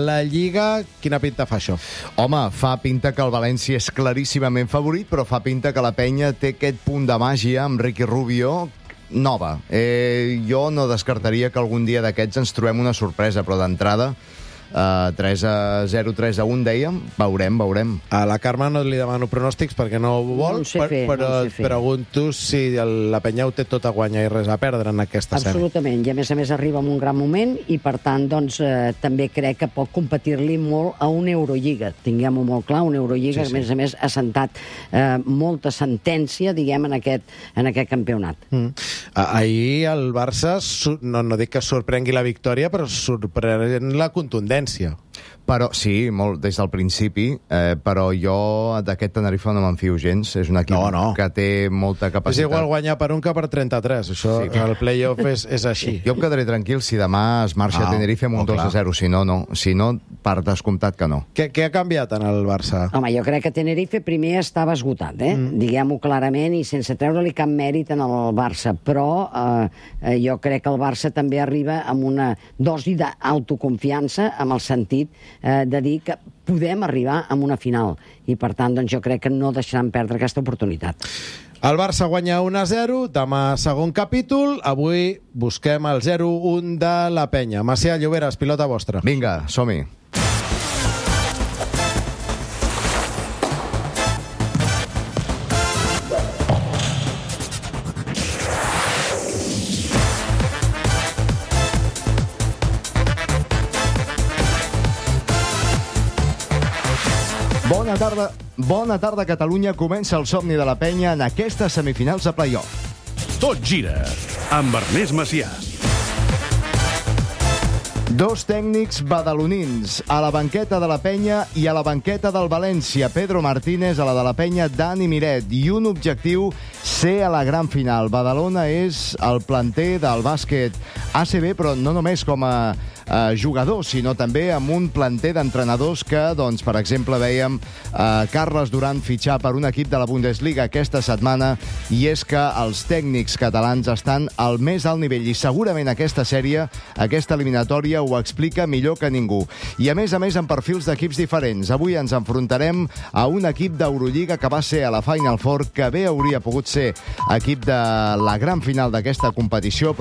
la Lliga. Quina pinta fa això? Home, fa pinta que el València és claríssimament favorit, però fa pinta que la Penya té aquest punt de màgia amb Ricky Rubio, nova. Eh, jo no descartaria que algun dia d'aquests ens trobem una sorpresa, però d'entrada Uh, tres a zero, tres a un, dèiem. Veurem, veurem. A la Carme no li demano pronòstics perquè no ho vol, No ho sé fer, però no ho sé et fer. pregunto si el, la penya ho té tot a guanyar i res a perdre en aquesta sèrie. Absolutament, i a més a més arriba en un gran moment i per tant doncs, eh, també crec que pot competir-li molt a una Eurolliga. Tinguem-ho molt clar, una Eurolliga Sí, que sí. a més a més ha sentat eh, molta sentència, diguem, en aquest, en aquest campionat. Mm. Ah, ahir el Barça, su- no, no dic que sorprengui la victòria, però sorprèn la contundència. Però sí, molt des del principi, eh, però jo d'aquest Tenerife no me'n fio gens. És un equip No, no. que té molta És capacitat. igual guanyar per un que per trenta-tres. Això, Sí. el play-off és, és així. Jo em quedaré tranquil si demà es marxa Ah, a Tenerife amb oh, un dos a clar. zero. Si no, no. Si no, per descomptat que no. Què, què ha canviat en el Barça? Home, jo crec que Tenerife primer estava esgotat, eh? Mm. Diguem-ho clarament i sense treure-li cap mèrit en el Barça, però eh, eh, jo crec que el Barça també arriba amb una dosi d'autoconfiança, amb el sentit eh, de dir que podem arribar a una final i per tant doncs, jo crec que no deixaran perdre aquesta oportunitat. El Barça guanya un a zero, demà segon capítol, avui busquem el zero un de la penya. Macià Lloberes, pilota vostra. Vinga, som-hi. Bona tarda, bona tarda, Catalunya. Comença el somni de la penya en aquestes semifinals de play-off. Tot gira amb Ernest Macià. Dos tècnics badalonins, a la banqueta de la penya i a la banqueta del València. Pedro Martínez, a la de la penya, Dani Miret. I un objectiu, ser a la gran final. Badalona és el planter del bàsquet A C B, però no només com a eh, jugadors, sinó també amb un planter d'entrenadors que, doncs, per exemple, veiem eh, Carles Duran fitxar per un equip de la Bundesliga aquesta setmana, i és que els tècnics catalans estan al més alt nivell, i segurament aquesta sèrie, aquesta eliminatòria, ho explica millor que ningú. I a més a més amb perfils d'equips diferents. Avui ens enfrontarem a un equip d'Eurolliga que va ser a la Final Four, que bé hauria pogut ser equip de la gran final d'aquesta competició, però